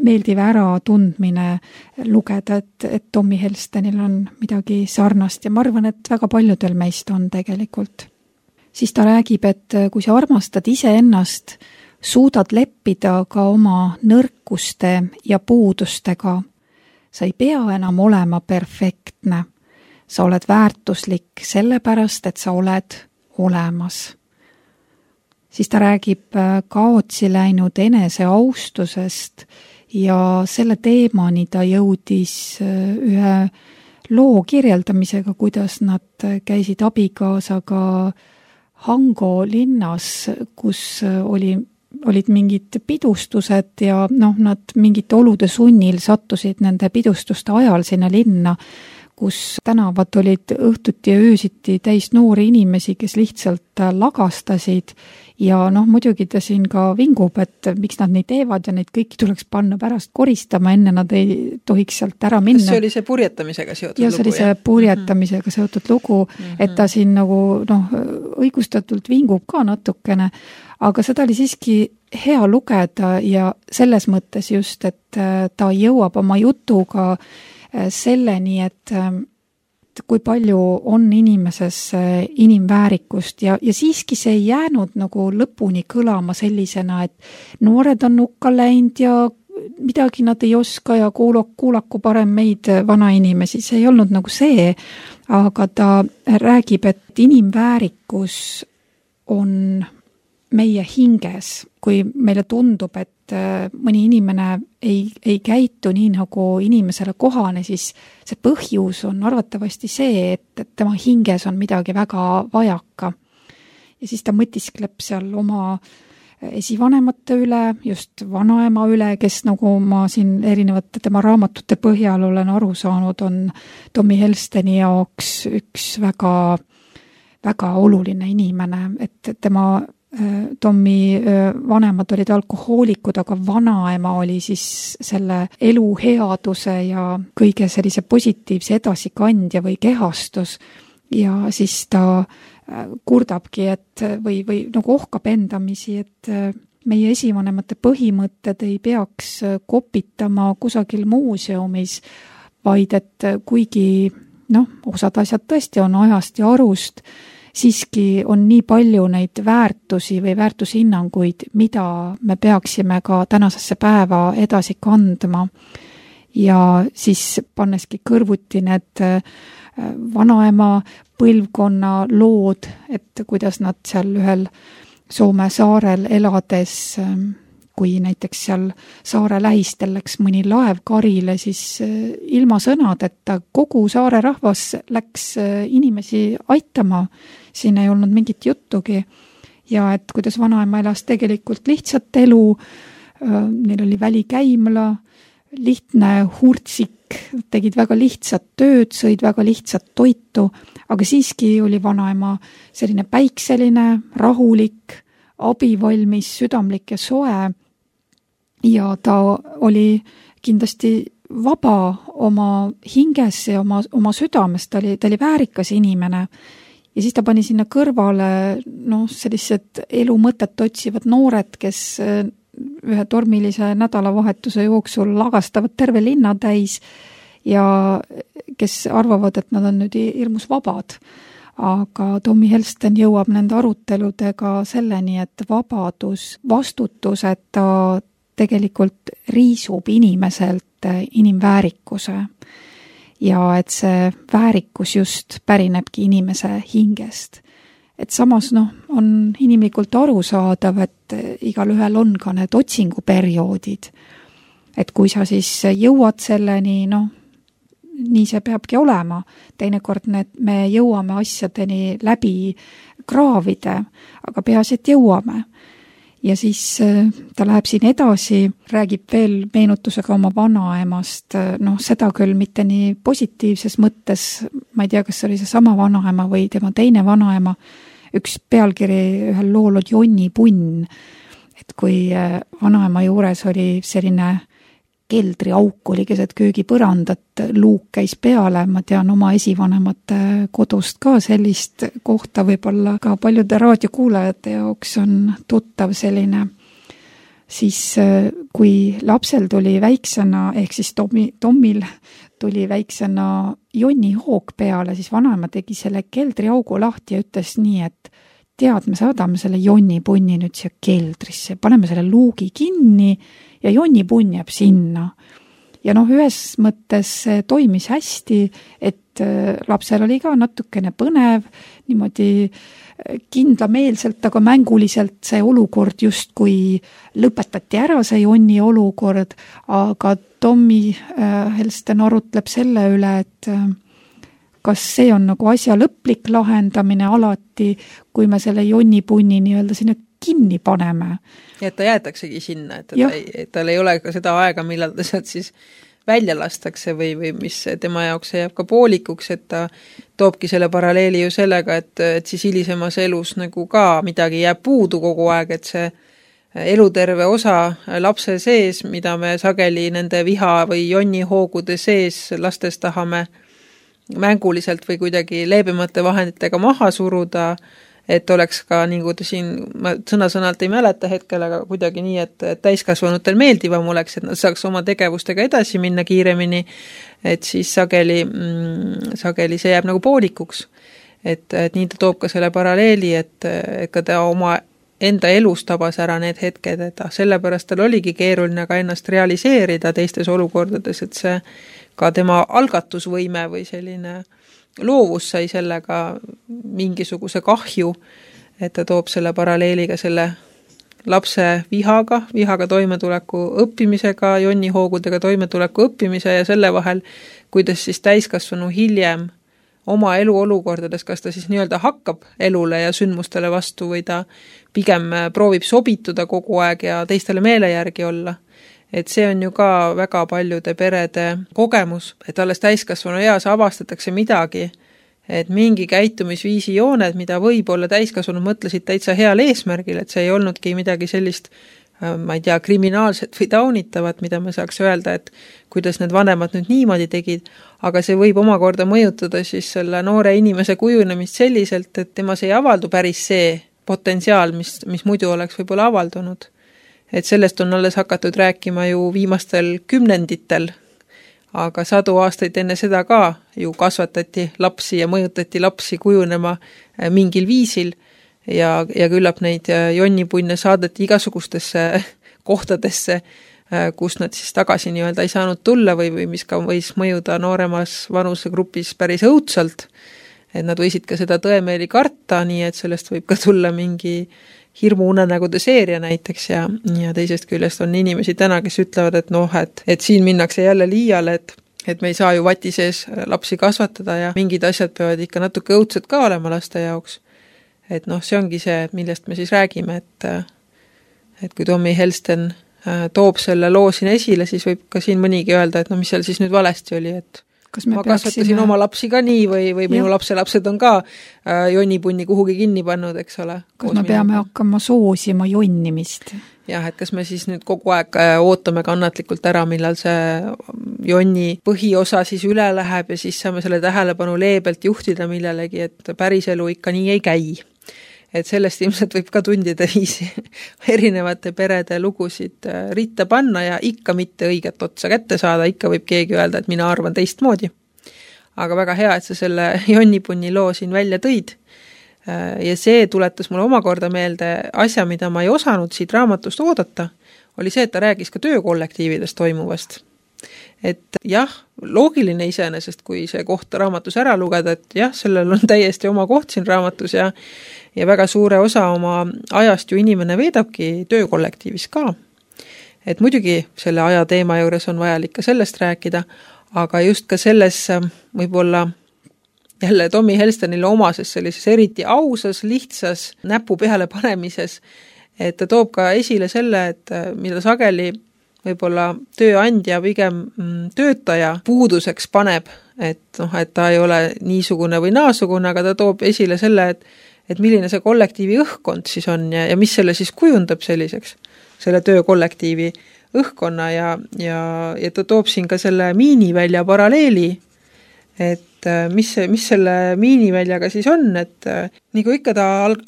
meeldiv ära tundmine lugeda, et, et Tommy Helstenil on midagi sarnast ja ma arvan, et väga paljudel meist on tegelikult. Siis ta räägib, et kui sa armastad iseennast, suudad leppida ka oma nõrkuste ja puudustega. Sa ei pea enam olema perfektne. Sa oled väärtuslik sellepärast, et sa oled olemas. Siis ta räägib kaotsi läinud enese austusest ja selle teemani ta jõudis ühe loo kirjeldamisega, kuidas nad käisid abikaasaga Hango linnas, kus oli, olid mingid pidustused ja noh, nad mingite olude sunnil sattusid nende pidustuste ajal sinna linna, kus tänavad olid õhtuti ja öösiti täis noori inimesi, kes lihtsalt lagastasid ja noh, muidugi ta siin ka vingub, et miks nad neid teevad ja neid kõiki tuleks panna pärast koristama, enne nad ei tohiks sealt ära minna. See oli see purjetamisega seotud ja lugu? Ja see oli see purjetamisega mm-hmm. seotud lugu, mm-hmm. et ta siin nagu noh, õigustatult vingub ka natukene, aga seda oli siiski hea lugeda ja selles mõttes just, et ta jõuab oma jutuga selleni, et kui palju on inimeses inimväärikust ja, ja siiski see ei jäänud nagu lõpuni kõlama sellisena, et noored on nukka läinud ja midagi nad ei oska ja kuulaku, kuulaku parem meid vanainimesi, see ei olnud nagu see, aga ta räägib, et inimväärikus on meie hinges, kui meile tundub, et mõni inimene ei, ei käitu nii, nagu inimesele kohane, siis see põhjus on arvatavasti see, et tema hinges on midagi väga vajaka. Ja siis ta mõtiskleb seal oma esivanemate üle, just vanaema üle, kes nagu ma siin erinevate tema raamatute põhjal olen aru saanud, on Tommy Helsteni jaoks üks väga, väga oluline inimene, et tema Tommy vanemad olid alkohoolikud, aga vanaema oli siis selle elu headuse ja kõige sellise positiivse edasikandja või kehastus ja siis ta kurdabki, et või, või nagu ohkab endamisi, et meie esivanemate põhimõtted ei peaks kopitama kusagil muuseumis, vaid et kuigi noh, osad asjad tõesti on ajast ja arust, siiski on nii palju neid väärtusi või väärtushinnanguid, mida me peaksime ka tänasesse päeva edasi kandma. Ja siis panneski kõrvuti need vanaema põlvkonna lood, et kuidas nad seal ühel Soome saarel elades kui näiteks seal saare lähistel läks mõni laev karile, siis ilma sõnadeta kogu saare rahvas läks inimesi aitama, siin ei olnud mingit juttugi. Ja et kuidas vanaema elas tegelikult lihtsat elu, neil oli välikäimla, lihtne hurtsik, tegid väga lihtsat tööd, sõid väga lihtsat toitu, aga siiski oli vanaema selline päikseline, rahulik, abivalmis, südamlik ja soe ja ta oli kindlasti vaba oma hinges ja oma, oma südames, ta oli, ta oli väärikas inimene ja siis ta pani sinna kõrvale no, sellised elu mõtet otsivad noored, kes ühe tormilise nädalavahetuse jooksul lagastavad terve linna täis ja kes arvavad, et nad on nüüd hirmus vabad. Aga Tommy Helston jõuab nende aruteludega selleni, et vabadus, vastutuseta tegelikult riisub inimeselt inimväärikuse ja et see väärikus just pärinebki inimese hingest. Et samas noh, on inimlikult arusaadav, et igal ühel on ka need otsinguperioodid. Et kui sa siis jõuad selleni, noh, nii see peabki olema. Teinekord need, me jõuame asjadeni läbi kraavide, aga peaasi, et jõuame. Ja siis ta läheb siin edasi, räägib veel meenutusega oma vanaemast, noh, seda küll mitte nii positiivses mõttes, ma ei tea, kas oli see sama vanaema või tema teine vanaema, üks pealkiri ühel lool on Jonni punn, et kui vanaema juures oli selline keldriauk oli keset köögipõrandat, luuk käis peale, ma tean oma esivanemate kodust ka sellist kohta, võib-olla ka paljude raadiokuulajate jaoks on tuttav selline. Siis kui lapsel tuli väiksena, ehk siis Tommi, Tommil tuli väiksena Jonni hoog peale, siis vanaema tegi selle keldriaugu lahti ja ütles nii, et tead, me saadame selle Jonni punni nüüd siia keldrisse, paneme selle luugi kinni ja Jonni punn jääb sinna. Ja noh, ühes mõttes toimis hästi, et lapsel oli ka natukene põnev, niimoodi kindlameelselt, aga mänguliselt see olukord just kui lõpetati ära see Jonni olukord, aga Tommy Helston arutleb selle üle, et kas see on nagu asja lõplik lahendamine alati, kui me selle Jonni punni nii-öelda sinna kinni paneme. Ja et ta jäetaksegi sinna, et, ta ei, et tal ei ole ka seda aega, millal ta sealt siis välja lastakse või, või mis tema jaoks jääb ka poolikuks, et ta toobki selle paralleeli ju sellega, et, et siis hilisemas elus nagu ka midagi jääb puudu kogu aeg, et see eluterve osa lapse sees, mida me sageli nende viha või Jonni hoogude sees lastes tahame mänguliselt või kuidagi leebemate vahenditega maha suruda, et oleks ka, nii kui ta siin, ma sõna-sõnalt ei mäleta hetkel, aga kuidagi nii, et täiskasvanutel meeldivam oleks, et nad saaks oma tegevustega edasi minna kiiremini, et siis sageli, mm, sageli see jääb nagu poolikuks. Et, et nii ta toob ka selle paralleeli, et, et ka ta oma enda elus tabas ära need hetked, et sellepärast tal oligi keeruline ka ennast realiseerida teistes olukordades, et see ka tema algatusvõime või selline loovus sai sellega mingisuguse kahju, et ta toob selle paralleeliga selle lapse vihaga, vihaga toimetuleku õppimisega, Jonni hoogudega toimetuleku õppimise ja selle vahel, kuidas siis täiskasvanu hiljem oma eluolukordades, kas ta siis nii-öelda hakkab elule ja sündmustele vastu või ta pigem proovib sobituda kogu aeg ja teistele meele järgi olla. Et see on ju ka väga paljude perede kogemus, et alles täiskasvanu eas avastatakse midagi, et mingi käitumisviisi jooned, mida võib-olla täiskasvanud mõtlesid täitsa heal eesmärgil, et see ei olnudki midagi sellist, ma ei tea, kriminaalset või taunitavat, mida me saaks öelda, et kuidas need vanemad nüüd niimoodi tegid, aga see võib omakorda mõjutada siis selle noore inimese kujunemist selliselt, et temas ei avaldu päris see potentsiaal, mis, mis muidu oleks võib-olla avaldunud. Et sellest on alles hakatud rääkima ju viimastel kümnenditel, aga sadu aastaid enne seda ka ju kasvatati lapsi ja mõjutati lapsi kujunema mingil viisil ja, ja küllap neid Jonni punne saadeti igasugustesse kohtadesse, kus nad siis tagasi nii-öelda ei saanud tulla või, või mis ka võis mõjuda nooremas vanusegrupis päris õudsalt, et nad võisid ka seda tõemeeli karta, nii et sellest võib ka tulla mingi hirmuunenägude seeria näiteks ja, ja teisest küljest on inimesi täna, kes ütlevad, et noh, et, et siin minnakse jälle liiale, et, et me ei saa ju vati sees lapsi kasvatada ja mingid asjad peavad ikka natuke õudsed ka olema laste jaoks. Et noh, see ongi see, millest me siis räägime, et, et kui Tommy Helsten toob selle loo siin esile, siis võib ka siin mõnigi öelda, et no mis seal siis nüüd valesti oli, et Kas me ma peaksime... kasvatasin oma lapsi ka nii või, või minu lapselapsed on ka äh, jonnipunni kuhugi kinni pannud, eks ole. Kas me peame minuga. hakkama soosima jonnimist? Jah, et kas me siis nüüd kogu aeg ootame kannatlikult ära, millal see jonni põhiosa siis üle läheb ja siis saame selle tähelepanu leebelt juhtida millelegi, et päris elu ikka nii ei käi. Et sellest ilmselt võib ka tundide viisi erinevate perede lugusid ritta panna ja ikka mitte õiget otsa kätte saada, ikka võib keegi öelda, et mina arvan teistmoodi. Aga väga hea, et sa selle jonnipunni loo siin välja tõid. Ja see tuletas mulle omakorda meelde asja, mida ma ei osanud siit raamatust oodata, oli see, et ta räägis ka töökollektiividest toimuvast. Et jah, loogiline iseenesest, kui see koht raamatus ära lugeda, et jah, sellel on täiesti oma koht siin raamatus ja ja väga suure osa oma ajast ju inimene veedabki töökollektiivis ka. Et muidugi selle aja teema juures on vajalik ka sellest rääkida, aga just ka selles võib-olla jälle Tommy Helstenile omases sellises eriti ausas, lihtsas näpu peale panemises, et ta toob ka esile selle, et mida sageli võib-olla tööandja pigem töötaja puuduseks paneb, et, noh, et ta ei ole niisugune või naasugune, aga ta toob esile selle, et et milline see kollektiivi õhkkond siis on ja, ja mis selle siis kujundab selliseks, selle töökollektiivi õhkkonna ja, ja, ja ta toob siin ka selle miinivälja paralleeli, et mis, mis selle miiniväljaga siis on, et nagu ikka ta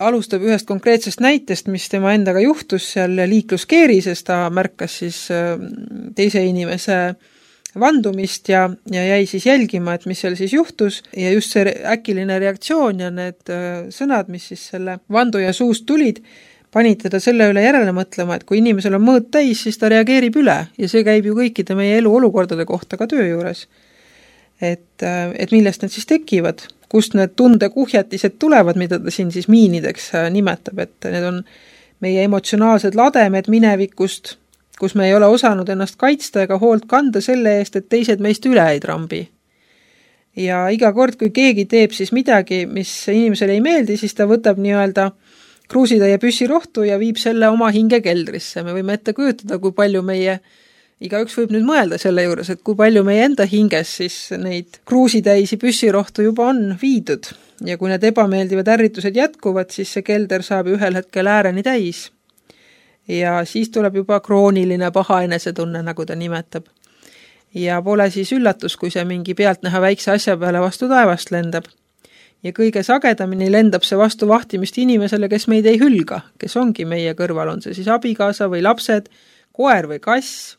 alustab ühest konkreetsest näitest, mis tema endaga juhtus seal liikluskeerises, ta märkas siis teise inimese vandumist ja, ja jäi siis jälgima, et mis seal siis juhtus ja just see äkiline reaktsioon ja need sõnad, mis siis selle vanduja suust tulid, panid teda selle üle järele mõtlema, et kui inimesel on mõõt täis, siis ta reageerib üle ja see käib ju kõikide meie elu olukordade kohta ka töö juures. Et, et millest need siis tekivad, kust need tundekuhjatised tulevad, mida ta siin siis miinideks nimetab, et need on meie emotsionaalsed lademed minevikust, kus me ei ole osanud ennast kaitsta ega hoolt kanda selle eest, et teised meist üle ei trambi. Ja iga kord, kui keegi teeb siis midagi, mis inimesele ei meeldi, siis ta võtab nii-öelda kruusitäie püssirohtu ja viib selle oma hinge keldrisse. Me võime ette kujutada, kui palju meie, igaüks võib nüüd mõelda selle juures, et kui palju meie enda hinges siis neid kruusitäisi püssirohtu juba on viidud. Ja kui need ebameeldivad ärritused jätkuvad, siis see kelder saab ühel hetkel ääreni täis. Ja siis tuleb juba krooniline paha enesetunne, nagu ta nimetab. Ja pole siis üllatus, kui see mingi pealtnäha väikse asja peale vastu taevast lendab. Ja kõige sagedamini lendab see vastu vahtimist inimesele, kes meid ei hülga, kes ongi meie kõrval, on see siis abikaasa või lapsed, koer või kass,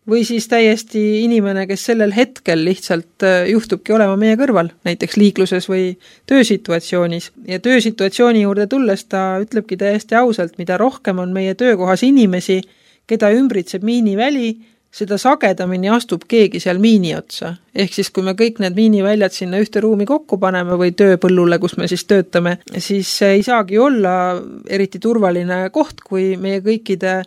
või siis täiesti inimene, kes sellel hetkel lihtsalt juhtubki olema meie kõrval, näiteks liikluses või töösituatsioonis. Ja töösituatsiooni juurde tulles ta ütlebki täiesti ausalt, mida rohkem on meie töökohas inimesi, keda ümbritseb miiniväli, seda sagedamini astub keegi seal miini otsa. Ehk siis, kui me kõik need miiniväljad sinna ühte ruumi kokku paneme või tööpõllule, kus me siis töötame, siis ei saagi olla eriti turvaline koht, kui meie kõikide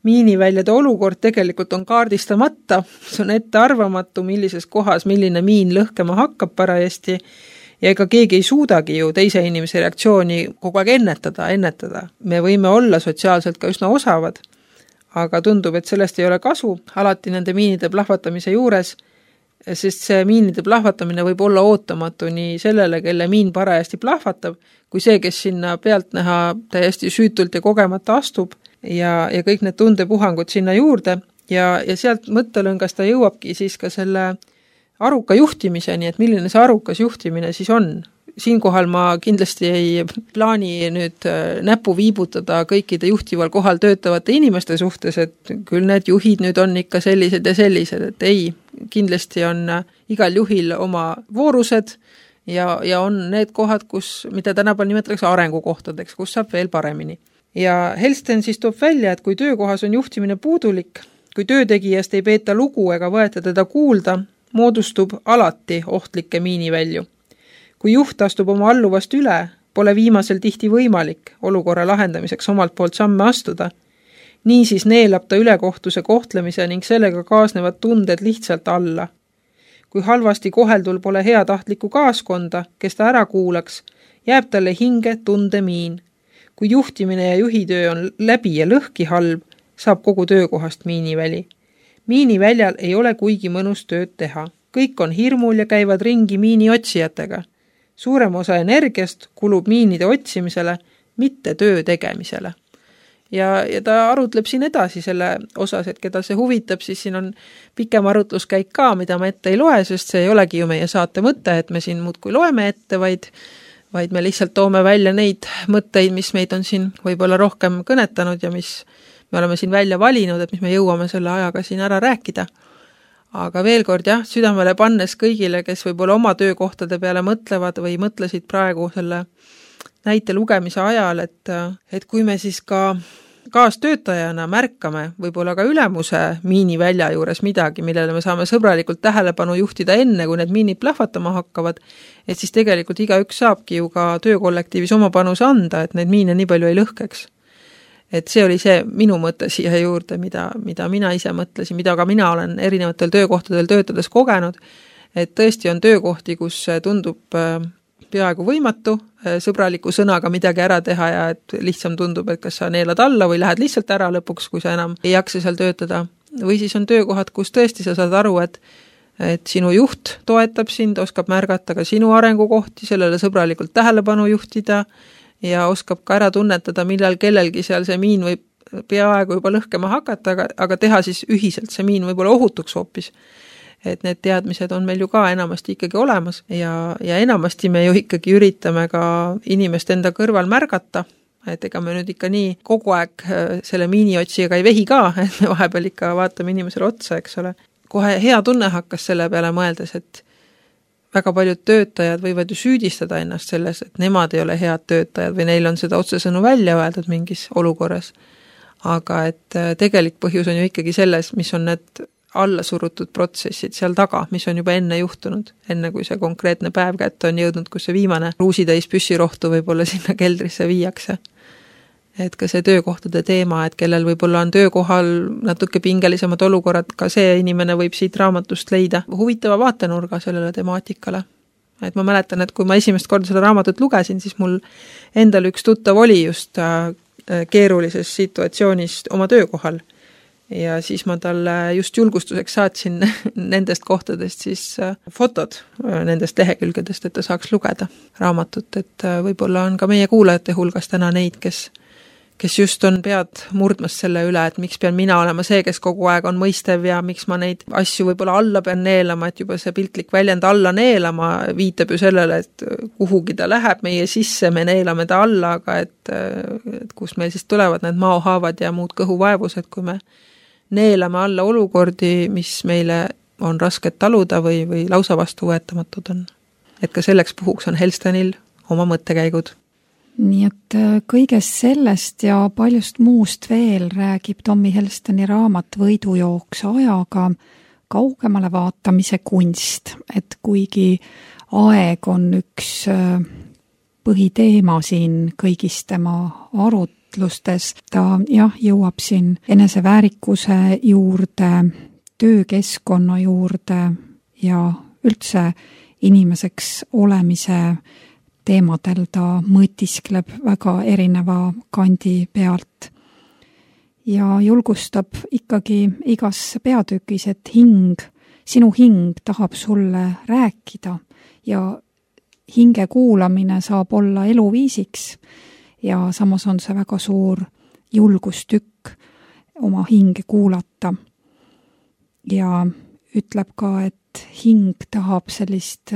miiniväljade olukord tegelikult on kaardistamata, see on ette arvamatu, millises kohas, milline miin lõhkema hakkab parajasti ja ega keegi ei suudagi ju teise inimese reaktsiooni kogu aeg ennetada, ennetada. Me võime olla sotsiaalselt ka üsna osavad, aga tundub, et sellest ei ole kasu alati nende miinide plahvatamise juures, sest see miinide plahvatamine võib olla ootamatu nii sellele, kelle miin parajasti plahvatab, kui see, kes sinna pealt näha täiesti süütult ja kogemata astub, ja, ja kõik need tundepuhangud sinna juurde ja, ja sealt mõttelõngast ta jõuabki siis ka selle aruka juhtimiseni, et milline see arukas juhtimine siis on. Siinkohal ma kindlasti ei plaani nüüd näpu viibutada kõikide juhtival kohal töötavate inimeste suhtes, et küll need juhid nüüd on ikka sellised ja sellised, et ei, kindlasti on igal juhil oma voorused ja, ja on need kohad, kus, mida tänapäeval nimetatakse arengukohtadeks, kus saab veel paremini. Ja Helsten siis toob välja, et kui töökohas on juhtimine puudulik, kui töötegijast ei peeta lugu ega võeta teda kuulda, moodustub alati ohtlikke miinivälju. Kui juht astub oma alluvast üle pole viimasel tihti võimalik olukorra lahendamiseks omalt poolt samme astuda. Niisiis neelab ta ülekohtuse kohtlemise ning sellega kaasnevad tunded lihtsalt alla. Kui halvasti koheldul pole heatahtlikku kaaskonda, kes ta ära kuulaks, jääb talle hinge tundemiin. Kui juhtimine ja juhitöö on läbi ja lõhki halb, saab kogu töökohast miiniväli. Miiniväljal ei ole kuigi mõnus tööd teha. Kõik on hirmul ja käivad ringi miini otsijatega. Suurem osa energiast kulub miinide otsimisele, mitte töö tegemisele. Ja, ja ta arutleb siin edasi selle osas, et keda see huvitab, siis siin on pikem arutluskäik ka, mida ma ette ei loe, sest see ei olegi ju meie saate mõte, et me siin muudkui loeme ette, vaid, vaid me lihtsalt toome välja neid mõtteid, mis meid on siin võib-olla rohkem kõnetanud ja mis me oleme siin välja valinud, et mis me jõuame selle ajaga siin ära rääkida. Aga veel kord jah, südamele pannes kõigile, kes võib-olla oma töökohtade peale mõtlevad või mõtlesid praegu selle näite lugemise ajal, et, et kui me siis ka kaastöötajana märkame võib-olla ka ülemuse miinivälja juures midagi, millele me saame sõbralikult tähelepanu juhtida enne, kui need miinid plahvatama hakkavad, et siis tegelikult igaüks saabki ju ka töökollektiivis oma panuse anda, et neid miine nii palju ei lõhkeks. Et see oli see minu mõte siia juurde, mida, mida mina ise mõtlesin, mida ka mina olen erinevatel töökohtadel töötades kogenud, et tõesti on töökohti, kus tundub peaaegu võimatu sõbraliku sõnaga midagi ära teha ja et lihtsam tundub, et kas sa neelad alla või lähed lihtsalt ära lõpuks, kui sa enam ei jaksa seal töötada. Või siis on töökohad, kus tõesti sa saad aru, et, et sinu juht toetab sind, oskab märgata ka sinu arengukohti, sellele sõbralikult tähelepanu juhtida ja oskab ka ära tunnetada, millal kellelgi seal see miin võib peaaegu juba lõhkema hakata, aga, aga teha siis ühiselt see miin võib-olla ohutuks hoopis. Et need teadmised on meil ju ka enamasti ikkagi olemas ja, ja enamasti me ju ikkagi üritame ka inimest enda kõrval märgata, et ega me nüüd ikka nii kogu aeg selle miiniotsijaga ei vehi ka, et me vahepeal ikka vaatame inimesele otsa, eks ole. Kohe hea tunne hakkas selle peale mõeldes, et väga paljud töötajad võivad ju süüdistada ennast selles, et nemad ei ole head töötajad või neil on seda otsesõnu välja öeldud mingis olukorras. Aga et tegelik põhjus on ju ikkagi selles, mis on need alla surutud protsessid seal taga, mis on juba enne juhtunud, enne kui see konkreetne päev kätte on jõudnud, kus see viimane ruusitäis püssirohtu võib-olla sinna keldrisse viiakse. Et ka see töökohtade teema, et kellel võib-olla on töökohal natuke pingelisemad olukorrad, ka see inimene võib siit raamatust leida huvitava vaatenurga sellele temaatikale. Et ma mäletan, et kui ma esimest korda seda raamatut lugesin, siis mul endal üks tuttav oli just keerulises situatsioonis oma töökohal. Ja siis ma talle just julgustuseks saatsin nendest kohtadest siis fotod nendest lehekülgedest, et ta saaks lugeda raamatut, et võib-olla on ka meie kuulajate hulgas täna neid, kes kes just on pead murdmas selle üle, et miks pean mina olema see, kes kogu aeg on mõistev ja miks ma neid asju võib-olla alla pean neelama, et juba see piltlik väljend alla neelama viitab ju sellele, et kuhugi ta läheb meie sisse, me neelame ta alla, aga et, et kus meil siis tulevad need maohaavad ja muud kõhuvaevused, kui me neelame alla olukordi, mis meile on rasket taluda või, või lausa vastu võetamatud on. Et ka selleks puhuks on Helstenil oma mõttekäigud. Nii et kõigest sellest ja paljust muust veel räägib Tommy Helsteni raamat Võidujooks ajaga kaugemale vaatamise kunst, et kuigi aeg on üks põhiteema siin kõigis tema arutlustes, ta jah, jõuab siin eneseväärikuse juurde, töökeskkonna juurde ja üldse inimeseks olemise teemadel ta mõtiskleb väga erineva kandi pealt ja julgustab ikkagi igas peatükis, et hing, sinu hing tahab sulle rääkida ja hinge kuulamine saab olla eluviisiks ja samas on see väga suur julgustükk oma hinge kuulata ja ütleb ka, et hing tahab sellist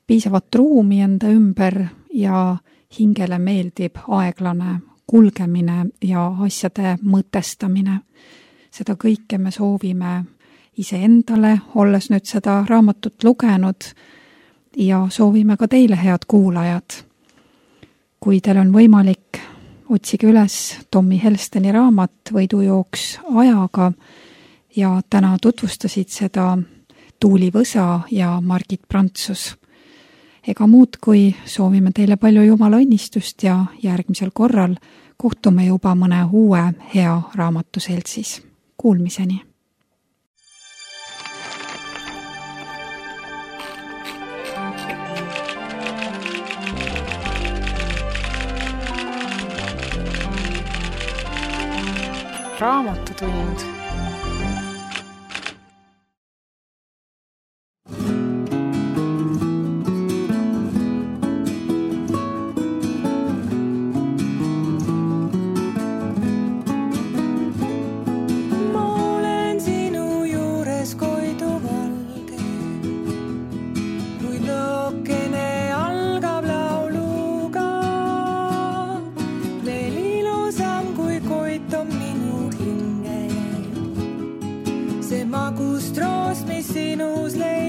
piisavat ruumi enda ümber ja hingele meeldib aeglane kulgemine ja asjade mõtestamine. Seda kõike me soovime iseendale, olles nüüd seda raamatut lugenud ja soovime ka teile, head kuulajad. Kui teil on võimalik, otsige üles Tommy Helsteni raamat Võidujooks ajaga ja täna tutvustasid seda Tuuli Võsa ja Margit Prantsus. ega muud, kui soovime teile palju Jumala õnnistust ja järgmisel korral kohtume juba mõne uue hea raamatuseltsis. Kuulmiseni! Raamatutund. Magus troos, mis sinus leid.